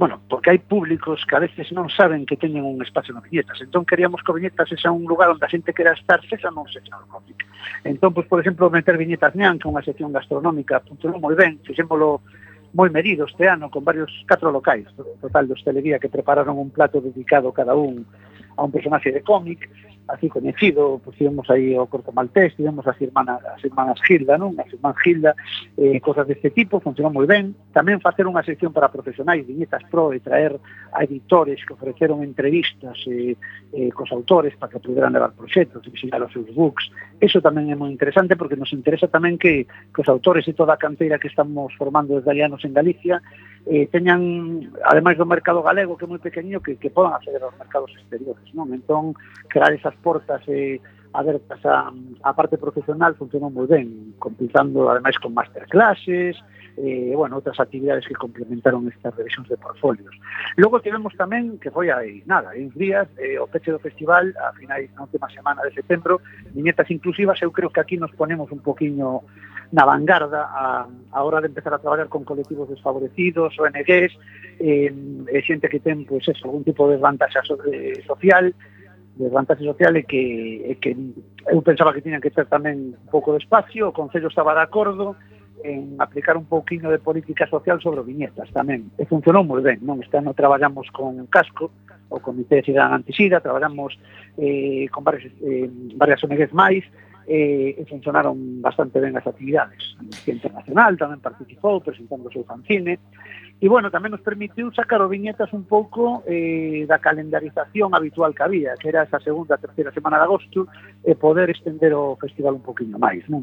bueno, porque hai públicos que a veces non saben que teñen un espacio no Viñetas, entón queríamos que o Viñetas sexa un lugar onde a xente quera estar, sexa non sexa no cómic. Entón, pois, por exemplo, meter Viñetas Ñan, que é unha sección gastronómica, funcionou moi ben, fixémolo moi medido este ano, con varios catro locais, total de hostelería, que prepararon un plato dedicado cada un a un personaxe de cómic, así coñecido, pues tivemos aí o Corto Maltés, tivemos as irmanas, as irmanas Gilda, non? As irmás Gilda, eh, cosas deste tipo, funcionou moi ben. Tamén facer unha sección para profesionais, Viñetas Pro, e traer a editores que ofreceron entrevistas eh, eh, cos autores para que puderan levar proxectos, e visitar os seus books. Eso tamén é moi interesante, porque nos interesa tamén que, que os autores e toda a canteira que estamos formando desde hai anos en Galicia eh, teñan, ademais do mercado galego, que é moi pequeniño, que, que podan acceder aos mercados exteriores, non? Entón, crear esas portas eh, abertas a, a parte profesional funcionou moi ben, completando ademais con masterclasses, eh, bueno, outras actividades que complementaron estas revisións de portfolios. Logo tivemos tamén, que foi aí, nada, en días, eh, o peche do festival, a finais na última semana de setembro, viñetas inclusivas. Eu creo que aquí nos ponemos un poquinho na vanguarda a, a hora de empezar a traballar con colectivos desfavorecidos, O N Ges, eh, e xente que ten pois, eso, algún tipo de desvantaxa sobre, social, desvantaxe social e que, e que eu pensaba que tiñan que ter tamén un pouco de espacio. O Concello estaba de acordo en aplicar un pouquinho de política social sobre viñetas tamén, e funcionou moi ben, non? Este ano traballamos con Casco, o Comité de Cidadán Antisida, traballamos eh, con varias, eh, varias O N Ges máis, eh, e funcionaron bastante ben as actividades. A Amnistía Internacional tamén participou presentando o seu fanzine, e bueno, tamén nos permitiu sacar o viñetas un pouco eh, da calendarización habitual que había, que era esa segunda, terceira semana de agosto, e poder estender o festival un poquinho máis, non?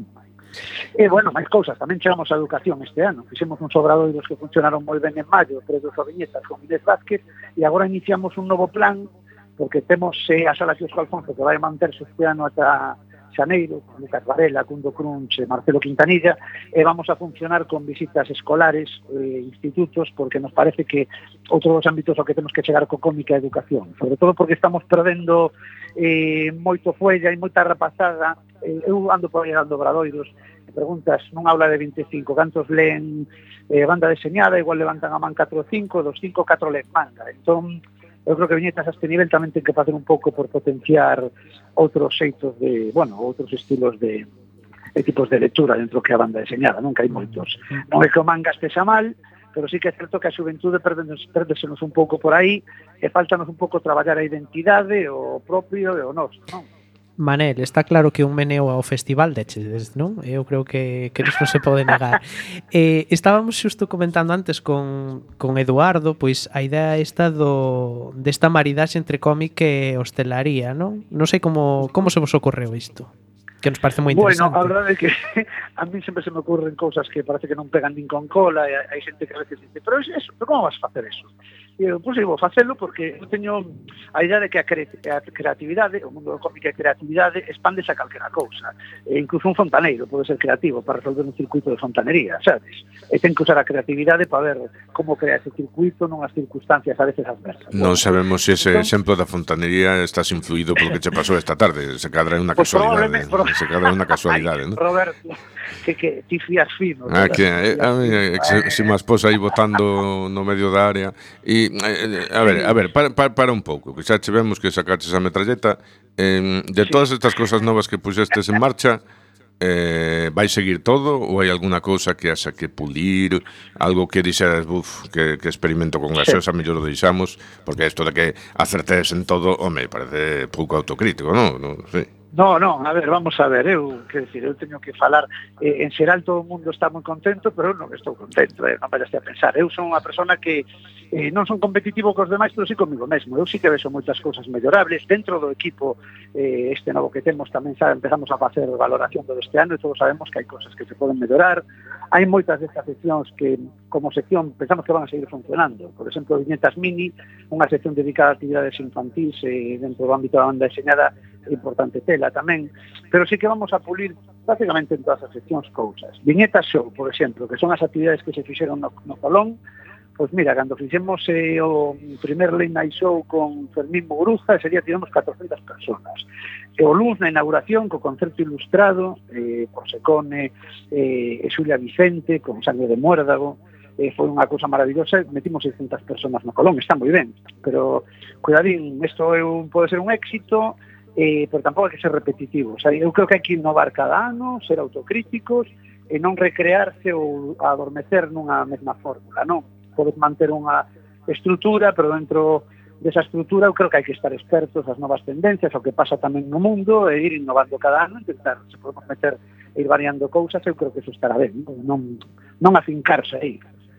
E, bueno, máis cousas, tamén chegamos a educación este ano. Fixemos uns obradoiros que funcionaron moi ben en maio, previos a viñetas con Inés Vázquez, e agora iniciamos un novo plan, porque temos eh, a Sala Quiosco Alfonso, que vai manterse este ano ata xaneiro, con Lucas Varela, Cundo Crunch, Marcelo Quintanilla, e vamos a funcionar con visitas escolares, eh, institutos, porque nos parece que outro dos ámbitos ao que temos que chegar co cómic é a educación, sobre todo porque estamos perdendo eh, moito fuella e moita rapazada. eh, eu ando por aí dando obradoiros, e preguntas nun aula de vinte e cinco, cantos leen eh, banda deseñada, igual levantan a man catro ou cinco, dos cinco, catro leen manga. Entón, eu creo que viñetas a este nivel tamén ten que facer un pouco por potenciar outros xeitos de, bueno, outros estilos de, de tipos de lectura dentro que a banda deseñada, non? Que hai moitos. Non é que o manga estexa mal, pero sí que é certo que a xuventude perdesenos un pouco por aí, e faltanos un pouco traballar a identidade, o propio e o noso, non? Manel, está claro que un meneo ao festival deches, non? Eu creo que, que isto non se pode negar. eh, estábamos xusto comentando antes con, con Eduardo, pois a idea esta do, desta maridaxe entre cómic e hostelaría, non? Non sei como, como se vos ocorreu isto, que nos parece moi interesante. Bueno, a verdade é que a mí sempre se me ocurren cousas que parece que non pegan nin con cola, e hai xente que a veces dice, pero eso, pero como vas a facer eso? E eu, pois, vou facelo porque eu teño a idea de que a, cre a creatividade, o mundo do cómic e a creatividade, expándese a calquera cousa. E incluso un fontaneiro pode ser creativo para resolver un circuito de fontanería, sabes? E ten que usar a creatividade para ver como crea ese circuito nunhas circunstancias a veces adversas. Non bueno, sabemos se ese entón, exemplo da fontanería estás influído polo que che pasou esta tarde. Se cadra é unha pues casualidade. Pro... Se cadra é unha casualidade, Ay, non? Roberto, que, que ti fías fino. Ah, que eh, a mí, eh, se, se má esposa aí botando no medio da área. E, eh, a ver, a ver, para, para, para un pouco, que xa che vemos que sacaches a metralleta. Eh, de sí. Todas estas cosas novas que puxestes en marcha, eh, vai seguir todo ou hai alguna cousa que haxa que pulir, algo que dixeras, buf, que, que experimento con gaseosa, sí, mellor o deixamos, porque isto de que acertes en todo, home, parece pouco autocrítico, non? Non sei. No, no, a ver, vamos a ver, eu, que decir, eu teño que falar, eh, en xeral todo o mundo está moi contento, pero eu non estou contento, eh, non me a pensar, eu son unha persona que eh, non son competitivo cos demais, pero sí comigo mesmo, eu sí que vexo moitas cousas mellorables, dentro do equipo eh, este novo que temos tamén xa empezamos a facer valoración do este ano e todos sabemos que hai cousas que se poden mellorar, hai moitas destas seccións que como sección pensamos que van a seguir funcionando, por exemplo, Viñetas Mini, unha sección dedicada a actividades infantís eh, dentro do ámbito da banda deseñada, importante tela tamén, pero sí que vamos a pulir prácticamente en todas as seccións cousas. Viñetas Show, por exemplo, que son as actividades que se fixeron no, no Colón, pois mira, cando fixemos eh, o primer Late Night Show con Fermín Muguruza, ese día tivemos catorcentas personas. E o luns na inauguración, co concerto ilustrado, eh, por Secone, eh, e Xulia Vicente, con Sangre de Muérdago, eh, foi unha cousa maravillosa, metimos seiscentas personas no Colón, está moi ben, pero cuidadín, isto é un, pode ser un éxito, Eh, pero tampouco hai que ser repetitivo. O sea, eu creo que hai que innovar cada ano, ser autocríticos e non recrearse ou adormecer nunha mesma fórmula, non? Podes manter unha estrutura, pero dentro desa estrutura eu creo que hai que estar expertos as novas tendencias, o que pasa tamén no mundo, e ir innovando cada ano, intentar, se podemos meter e ir variando cousas, eu creo que eso estará ben, non, non afincarse aí.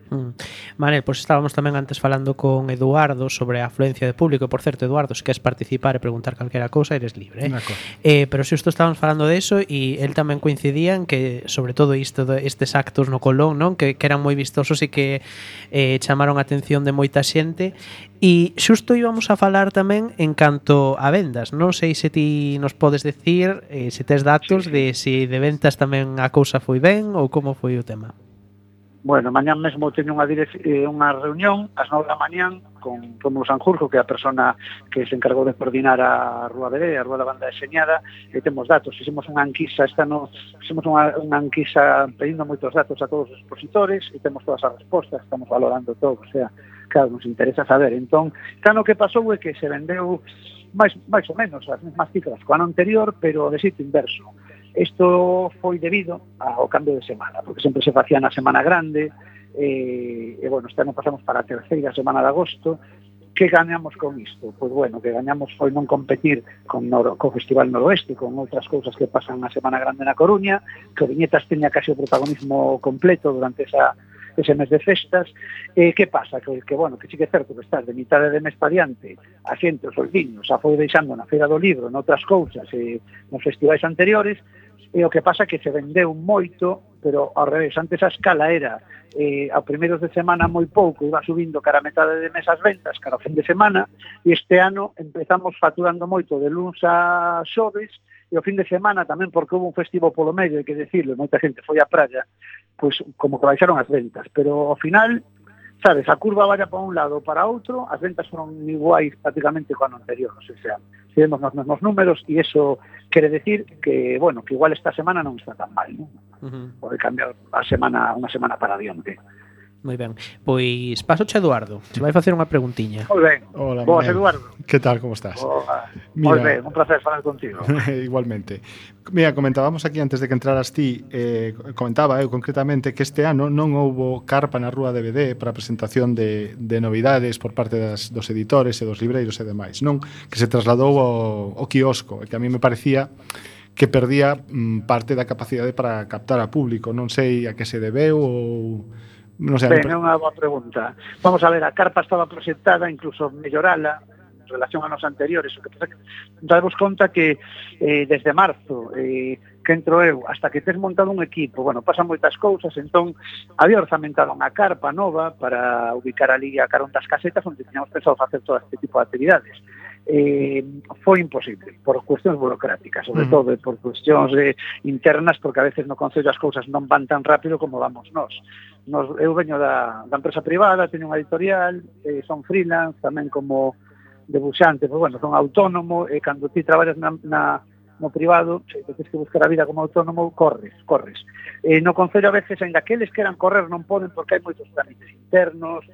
Mm. Manel, pois estábamos tamén antes falando con Eduardo sobre a afluencia de público, e por certo, Eduardo, se queres participar e preguntar calquera cousa, eres libre, eh? eh pero se isto estábamos falando de eso, e el tamén coincidía en que, sobre todo isto de estes actos no Colón, non? Que, que eran moi vistosos e que eh, chamaron a atención de moita xente. E xusto íbamos a falar tamén en canto a vendas. Non sei se ti nos podes decir eh, se tes datos sí, sí. de se de ventas tamén a cousa foi ben ou como foi o tema. Bueno, mañán mesmo teño unha, direc- eh, unha reunión ás nove da mañán con Rómulo Sanjurjo, que é a persona que se encargou de coordinar a Rúa B D, a Rúa da Banda Deseñada, e temos datos. Fixemos unha enquisa, esta no, fixemos unha, unha enquisa pedindo moitos datos a todos os expositores e temos todas as respostas, estamos valorando todo, o sea, claro, nos interesa saber. Entón, claro, o que pasou é que se vendeu máis, máis ou menos as mesmas cifras co ano anterior, pero de sitio inverso. Isto foi debido ao cambio de semana, porque sempre se facía na semana grande, e, e bueno, este ano pasamos para a terceira semana de agosto. Que gañamos con isto? Pois bueno, que gañamos foi non competir con Noro, co Festival Noroeste, con outras cousas que pasan na Semana Grande na Coruña, que o Viñetas teña casi o protagonismo completo durante esa ese mes de festas. E que pasa? Que, que bueno, que sí que é certo que estás de mitade de mes pa diante, a xente, os oldiños, a foi deixando na Feira do Libro, noutras cousas, e nos festivais anteriores, e o que pasa é que se vendeu moito, pero ao revés, antes a escala era eh, a primeiros de semana moi pouco, iba subindo cara a metade de mes as ventas, cara ao fin de semana, e este ano empezamos facturando moito de luns a xoves, e o fin de semana tamén, porque houve un festivo polo medio, hai que decirlo, moita xente foi á praia, pois como que baixaron as ventas, pero ao final, sabes, a curva vaya para un lado ou para outro, as ventas foron iguais prácticamente co ano anterior, o sea, seguimos nos mesmos números, e iso quere decir que, bueno, que igual esta semana non está tan mal, non? Uh-huh. Pode cambiar a semana, unha semana para diante. Moi ben. Pois paso a Eduardo, se vai facer unha preguntiña. Moi ben. Hola, Boas, Manel. Eduardo. Que tal, como estás? Hola. Moi ben, un placer falar contigo. Igualmente. Mira, comentábamos aquí antes de que entraras ti, eh, comentaba eu concretamente que este ano non houbo carpa na Rúa D V D para a presentación de, de novidades por parte das, dos editores e dos libreiros e demais, non? Que se trasladou ao, ao quiosco, e que a mí me parecía que perdía mm, parte da capacidade para captar a público. Non sei a que se debeu ou... Non sei, ben, é unha boa pregunta. Vamos a ver, a carpa estaba proxectada, incluso mellorala en relación a nos anteriores. O que pasa que darvos conta que eh, desde marzo eh, que entro eu, hasta que tes montado un equipo, bueno, pasan moitas cousas, entón había orzamentado unha carpa nova para ubicar ali a carón das casetas onde teníamos pensado facer todo este tipo de actividades. Eh, foi imposible por cuestións burocráticas, sobre uh-huh. todo por cuestións eh, internas, porque a veces no Concello as cousas non van tan rápido como vamos nós. Nos eu veño da, da empresa privada, teño unha editorial, eh, son freelance, tamén como debuxante, pues bueno, son autónomo, e cando ti traballas na, na, no privado, se tens que buscar a vida como autónomo, corres, corres. Eh, no Concello a veces, ainda que eles queran correr, non poden porque hai moitos trámites internos.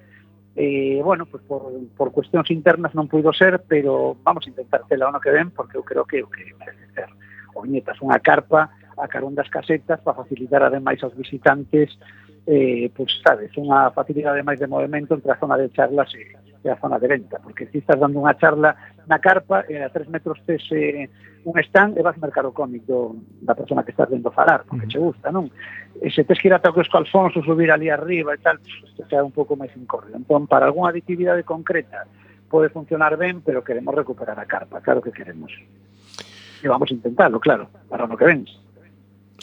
Eh, bueno, pues por, por cuestións internas non puido ser, pero vamos a intentar tela ano que ven, porque eu creo que o que merece ser o Viñetas unha carpa a carón das casetas para facilitar ademais aos visitantes, eh, pues sabes, unha facilidade máis de movimento entre a zona de charlas e, e a zona de venta, porque si estás dando unha charla na carpa e a tres metros tes eh, un stand e vas mercar o cómic do, da persona que estás vendo falar, porque che gusta, non? E se tes que ir ata o Cosco Alfonso, subir ali arriba e tal, pues, sea un pouco máis incórreo. Entón, para algunha actividade concreta pode funcionar ben, pero queremos recuperar a carpa, claro que queremos. E vamos a intentarlo, claro, para o que ven.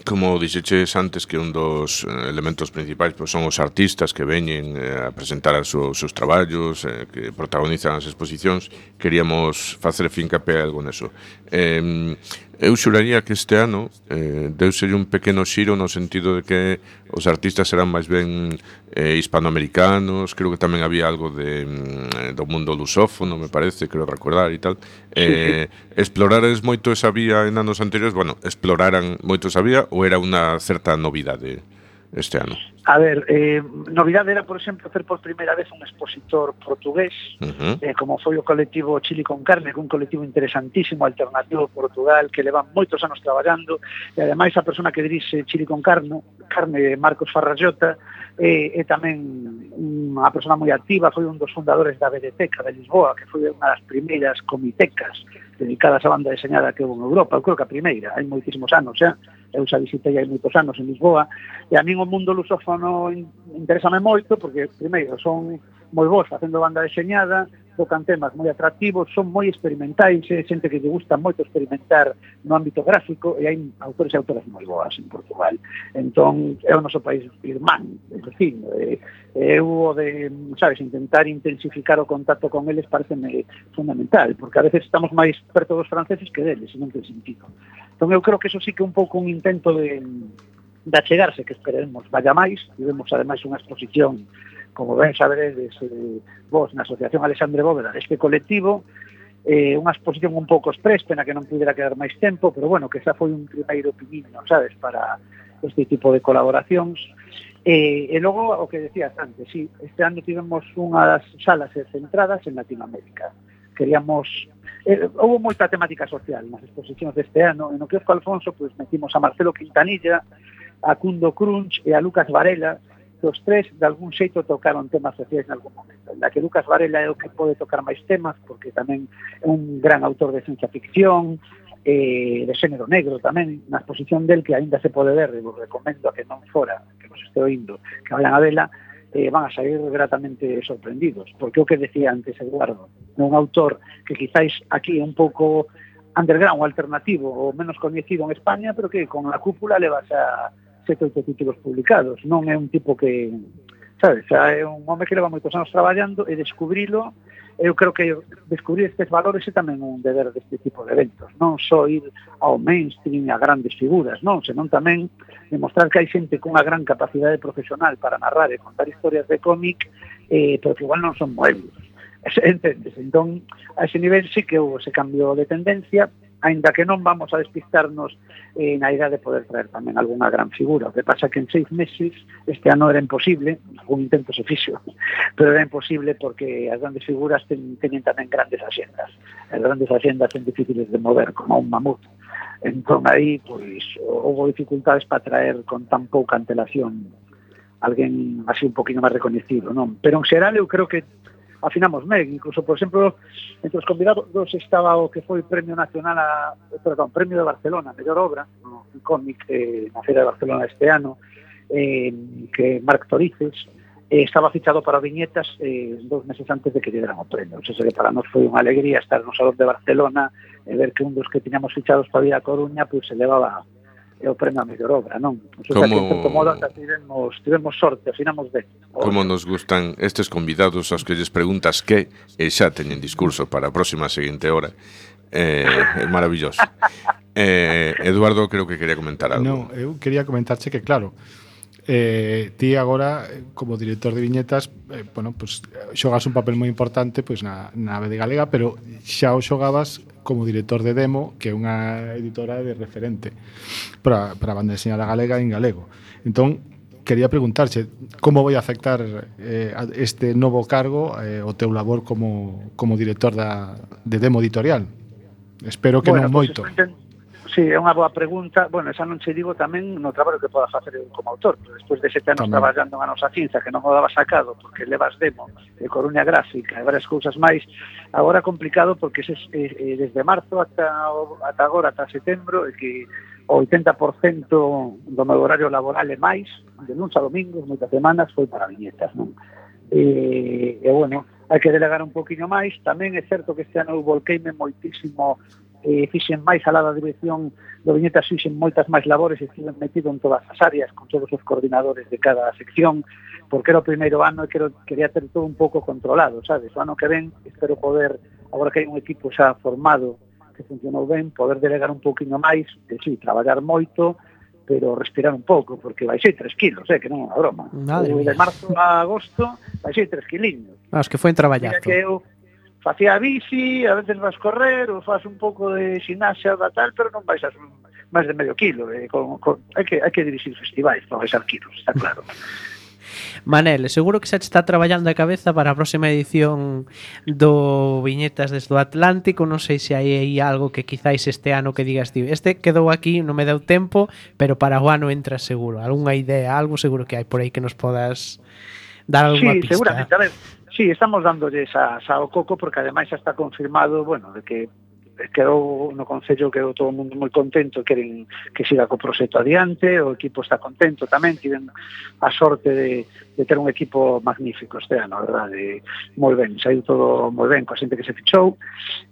Como dixeches antes, que un dos elementos principais pues, son os artistas que veñen eh, a presentar os seus, seus traballos, eh, que protagonizan as exposicións. Queríamos facer fincapé algo neso. Eh, eu xuraría que este ano eh, deuselle un pequeno xiro no sentido de que os artistas serán máis ben eh, hispanoamericanos. Creo que tamén había algo de, mm, do mundo lusófono, me parece, creo recordar e tal. Eh, explorares moito esa vía en anos anteriores? Bueno, exploraran moito esa vía ou era unha certa novidade este ano? A ver, eh, novidade era, por exemplo, hacer por primeira vez un expositor portugués, uh-huh. eh, como foi o colectivo Chili con Carne, que un colectivo interesantísimo, alternativo Portugal, que levan moitos anos traballando, e ademais a persona que dirixe Chili con Carne, Carne Marcos Farrallota, e, e tamén unha persona moi activa, foi un dos fundadores da Vedeteca de Lisboa, que foi unha das primeiras comitecas dedicadas á banda deseñada que houve en Europa. Eu creo que a primeira, hai moitísimos anos, xa. Eu xa visitei hai moitos anos en Lisboa, e a min o mundo lusófono interésame moito, porque, primeiro, son moi bons facendo banda deseñada, tocan temas moi atractivos, son moi experimentais, é xente que lle gusta moito experimentar no ámbito gráfico, e hai autores e autoras moi boas en Portugal. Entón, é o noso país irmán, é dicir, eu o de, sabes, intentar intensificar o contacto con eles pareceme fundamental, porque a veces estamos máis perto dos franceses que deles, e non ten sentido. Entón, eu creo que eso sí que é un pouco un intento de de achegarse, que esperemos vaya máis. Tivemos ademais unha exposición, como ben saberedes, eh, vos na Asociación Alexandre Bóveda deste colectivo, eh, unha exposición un pouco express, pena que non pudera quedar máis tempo, pero bueno, que xa foi un primeiro piniño, sabes, para este tipo de colaboracións. E, e logo, o que decías antes, sí, este ano tivemos unhas salas centradas en Latinoamérica. Queríamos... Eh, houve moita temática social nas exposicións deste ano. En o Quiosco Alfonso, pues, metimos a Marcelo Quintanilla, a Cundo Crunch e a Lucas Varela, que os tres, de algún xeito, tocaron temas sociais en algún momento. Na que Lucas Varela é o que pode tocar máis temas, porque tamén é un gran autor de ciencia ficción, eh, de xénero negro tamén, na exposición del que aínda se pode ver, e vos recomendo a que non fora, que nos este oindo, que vayan a vela, eh, van a sair gratamente sorprendidos, porque o que decía antes Eduardo, un autor que quizáis aquí é un pouco underground, alternativo, ou menos coñecido en España, pero que con a cúpula levas a sete oito títulos publicados. Non é un tipo que, sabes, é un home que leva moitos anos traballando, e descubrilo. Eu creo que descubrir estes valores é tamén un deber deste tipo de eventos, non só ir ao mainstream, a grandes figuras, non, senón tamén demostrar que hai xente con unha gran capacidade profesional para narrar e contar historias de cómic, eh, pero que igual non son moelos. Entendes? Entón, a ese nivel sí que houve ese cambio de tendencia, aínda que non vamos a despistarnos eh, na idea de poder traer tamén algunha gran figura. O que pasa que en seis meses este ano era imposible, algún intento se fixo, pero era imposible porque as grandes figuras ten, teñen tamén grandes axendas. As grandes axendas son difíciles de mover, como un mamut. Entón aí, pois, houve dificultades para traer con tan pouca antelación alguén así un poquinho máis reconhecido, non? Pero en xeral eu creo que afinamos ben, incluso, por exemplo, entre os convidados estaba o que foi Premio Nacional a, perdón, Premio de Barcelona, mellor obra, no, un cómic eh, na Feira de Barcelona este ano, eh, que Marc Torices, eh, estaba fichado para viñetas eh, dos meses antes de que lle deran o premio. O sea, que para nós foi unha alegría estar no Salón de Barcelona e ver que un dos que tiñamos fichados para vir a Coruña, pois se levaba é o premio a mellor obra, non? O sea, como... que en certo modo tivemos, tivemos sorte, afinamos ben. Como nos gustan estes convidados aos que lles preguntas que e xa teñen discurso para a próxima seguinte hora. Eh, é maravilloso. Eh, Eduardo, creo que quería comentar algo. Non, eu quería comentarche que, claro, eh, ti agora, como director de viñetas, eh, bueno, pues, xogas un papel moi importante pois, na, na A B D Galega, pero xa o xogabas como director de Demo, que é unha editora de referente para, para a banda deseñada galega en galego. Entón, quería preguntarche como vai afectar eh, este novo cargo eh, o teu labor como, como director da, de Demo Editorial. Espero que bueno, non moito. Pues, sí, é unha boa pregunta. Bueno, esa non che digo tamén no traballo que podas facer eu como autor, pero despois de sete anos tamén traballando na nosa cinza, que non o daba sacado porque levas Demo de Coruña Gráfica e varias cousas máis, agora é complicado porque es, eh, desde marzo ata, ata agora, ata setembro, é que o oitenta por cento do meu horario laboral e máis, de luns a domingos, moitas semanas, foi para viñetas, non? E, e bueno, hai que delegar un poquinho máis. Tamén é certo que este ano eu volqueime moitísimo, eh, fixen máis a la dirección do viñetas, fixen moitas máis labores e estive metido en todas as áreas con todos os coordinadores de cada sección, porque era o primeiro ano e quero, quería ter todo un pouco controlado, sabes? O ano que ven espero poder, agora que hai un equipo xa formado que funcionou ben, poder delegar un pouquinho máis, e sí, traballar moito, pero respirar un pouco, porque vai ser tres kilos, eh, que non é unha broma. O de marzo a agosto vai ser tres kiliños. Ah, que foi en traballazo. Mira que eu facía bici, a veces vas correr, ou faz un pouco de xinaxa da tal, pero non vais a máis de medio kilo. Eh, con, con, hai, que, hai que dirixir festivais para baixar kilos, está claro. Manel, seguro que xa te está traballando a cabeza para a próxima edición do Viñetas desde o Atlántico. Non sei se hai aí algo que quizáis este ano que digas, tío, este quedou aquí, non me deu tempo, pero para o ano entra seguro. Algúnha idea, algo seguro que hai por aí que nos podas dar algunha sí, pista. Sí, seguramente, a ver, sí, estamos dándolle a, a o coco, porque ademais xa está confirmado, bueno, de que quedou no Concello, quedou todo o mundo moi contento, queren que siga co proxecto adiante, o equipo está contento tamén, tiven a sorte de, de ter un equipo magnífico este ano, a verdade, moi ben, saiu todo moi ben coa xente que se fichou.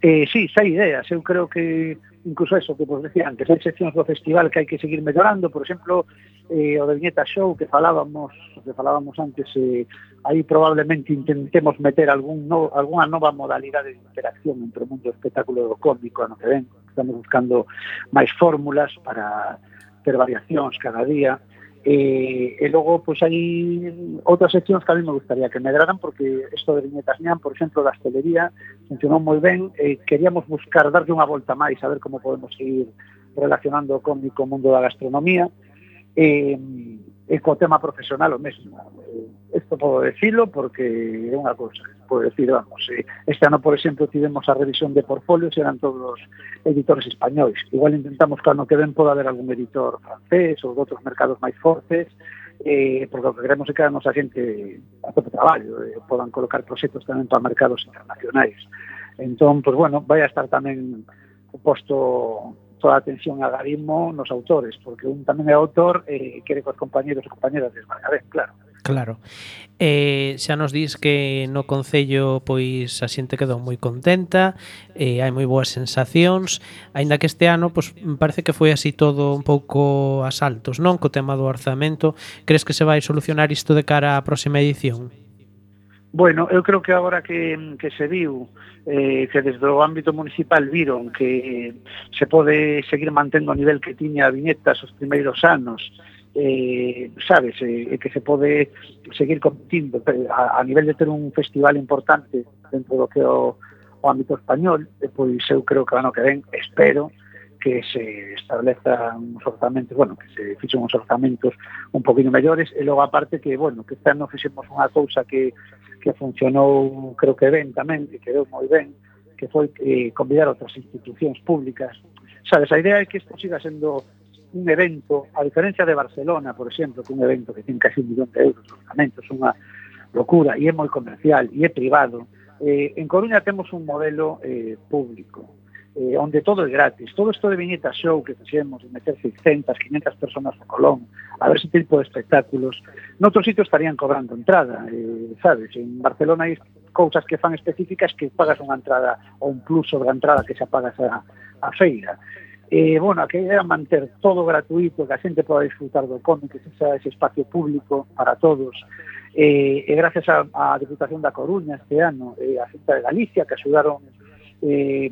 Eh, sí, xa hai ideas, eu creo que incluso eso que vos decía antes, hai seccións do festival que hai que seguir mellorando, por exemplo, eh, o de Viñeta Show que falábamos, que falábamos antes, eh, aí probablemente intentemos meter algún no, alguna nova modalidade de interacción entre o mundo do espectáculo do cómico ano que ven. Estamos buscando máis fórmulas para ter variacións cada día. E, e logo, pois, hai outras seccións que a mí me gustaría que medraran, porque isto de viñetas ñan, por exemplo, da hostelería, funcionou moi ben, e queríamos buscar darlle unha volta máis, a ver como podemos seguir relacionando o cómic co mundo da gastronomía, e, e co tema profesional o mesmo. Isto podo decirlo porque é unha cousa que podo decir, vamos, este ano, por exemplo, tivemos a revisión de portfolios e eran todos editores españois. Igual intentamos que ano que ven poda haber algún editor francés ou de outros mercados máis fortes, eh, porque o que queremos é que a nosa xente a tope traballo, eh, podan colocar proxectos tamén para mercados internacionais. Entón, pues bueno, vai a estar tamén posto toda a atención a garismo nos autores, porque un tamén é autor e eh, quere que os compañeros e compañeras desmarca ben, claro. Claro. Eh, xa nos dis que no Concello pois a xente quedou moi contenta, eh, hai moi boas sensacións, aínda que este ano pois parece que foi así todo un pouco a saltos, non? Co tema do orzamento, crees que se vai solucionar isto de cara á próxima edición? Bueno, eu creo que agora que, que se viu eh, que desde o ámbito municipal viron que se pode seguir mantendo o nivel que tiña a viñetas os primeiros anos, eh, sabes, eh, que se pode seguir competindo a, a nivel de ter un festival importante dentro do que é o, o ámbito español, e pois eu creo que ano que ven, espero que se establezan uns orzamentos, bueno, que se fixen uns orzamentos un poquinho mellores, e logo aparte que, bueno, que este ano fixemos unha cousa que que funcionou, creo que ben tamén, que quedou moi ben, que foi eh, convidar outras institucións públicas. Sabes, a idea é que isto siga sendo un evento, a diferencia de Barcelona, por exemplo, que un evento que ten casi un millón de euros de orzamentos, unha locura, e é moi comercial, e é privado. Eh, en Coruña temos un modelo eh, público, eh, onde todo é gratis. Todo isto de viñeta show que fixemos, de meter seiscentas, quinhentas personas no Colón, a ver ese tipo de espectáculos, noutros sitios estarían cobrando entrada, eh, sabes, en Barcelona hai cousas que fan específicas que pagas unha entrada ou un plus sobre a entrada que xa pagas a, a feira. Eh, bueno, que era manter todo gratuito, que a xente poda disfrutar do cómic, que sexa ese espacio público para todos, eh, e gracias a, a Diputación da Coruña este ano, e a Xunta de Galicia, que axudaron eh,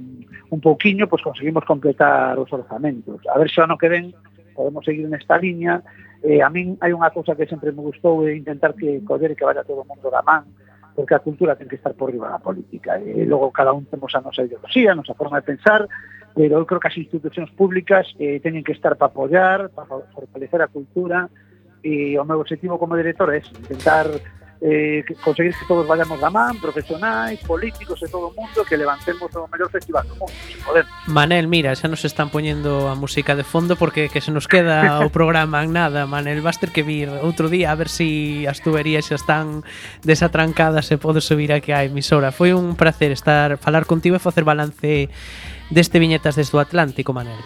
un pouquiño, pues conseguimos completar os orzamentos. A ver se ano que ven podemos seguir nesta liña. Eh, a min hai unha cousa que sempre me gustou, é intentar que coller e que vaya todo o mundo da man, porque a cultura ten que estar por riba da política, e logo cada un temos a nosa ideoloxía, a nosa forma de pensar, pero eu creo que as institucións públicas eh, teñen que estar para apoiar, para fortalecer a cultura, e o meu objetivo como director é intentar eh, conseguir que todos vayamos da man, profesionais, políticos e todo o mundo, que levantemos o mellor festival do mundo, se podemos. Manel, mira, xa nos están poñendo a música de fondo porque que se nos queda o programa en nada, Manel, vas ter que vir outro día a ver se si as tuberías xa están desatrancadas e podes subir aquí á emisora. Foi un placer estar falar contigo e facer balance deste Viñetas desde o Atlántico, Manel.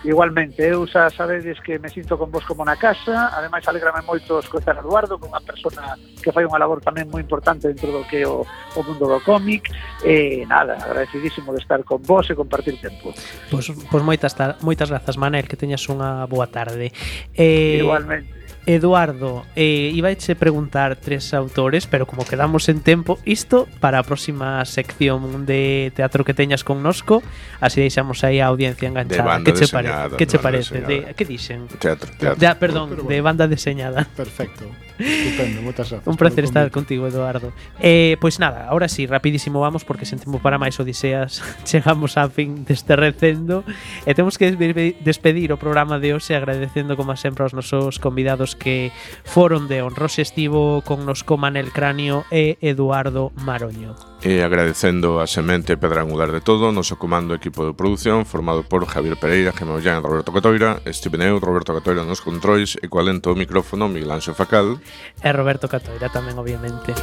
Igualmente, eu xa sabedes que me sinto con vos como na casa, ademais alegrame moito escoitar a Eduardo, con unha persona que fai unha labor tamén moi importante dentro do que é o, o mundo do cómic, e nada, agradecidísimo de estar con vos e compartir tempo. Pois, pois moitas, moitas grazas, Manel, que teñas unha boa tarde. Eh, Igualmente. Eduardo, eh, ibaiche preguntar tres autores, pero como quedamos en tempo, isto para a próxima sección de teatro que teñas connosco, así deixamos aí a audiencia enganchada. Que che, pare que che parece? De, que dixen? Teatro, teatro. Ya, perdón, pero, pero, de banda deseñada. Perfecto. Estupendo, moitas grazas. Un placer estar contigo, Eduardo. Eh, pois nada, ahora sí, rapidísimo vamos, porque sen tempo para máis odiseas chegamos á fin deste recendo e temos que despedir o programa de hoxe agradecendo como sempre aos nosos convidados que foron de honroso. Estivo connosco Manel Cráneo e Eduardo Maroño. E agradecendo a semente pedra angular de todo, noso comando equipo de produción formado por Javier Pereira, Gemma Ollán e Roberto Catoira, Steven Eu, Roberto Catoira nos controis e coalento o micrófono Miguel Anxo Facal e Roberto Catoira tamén, obviamente.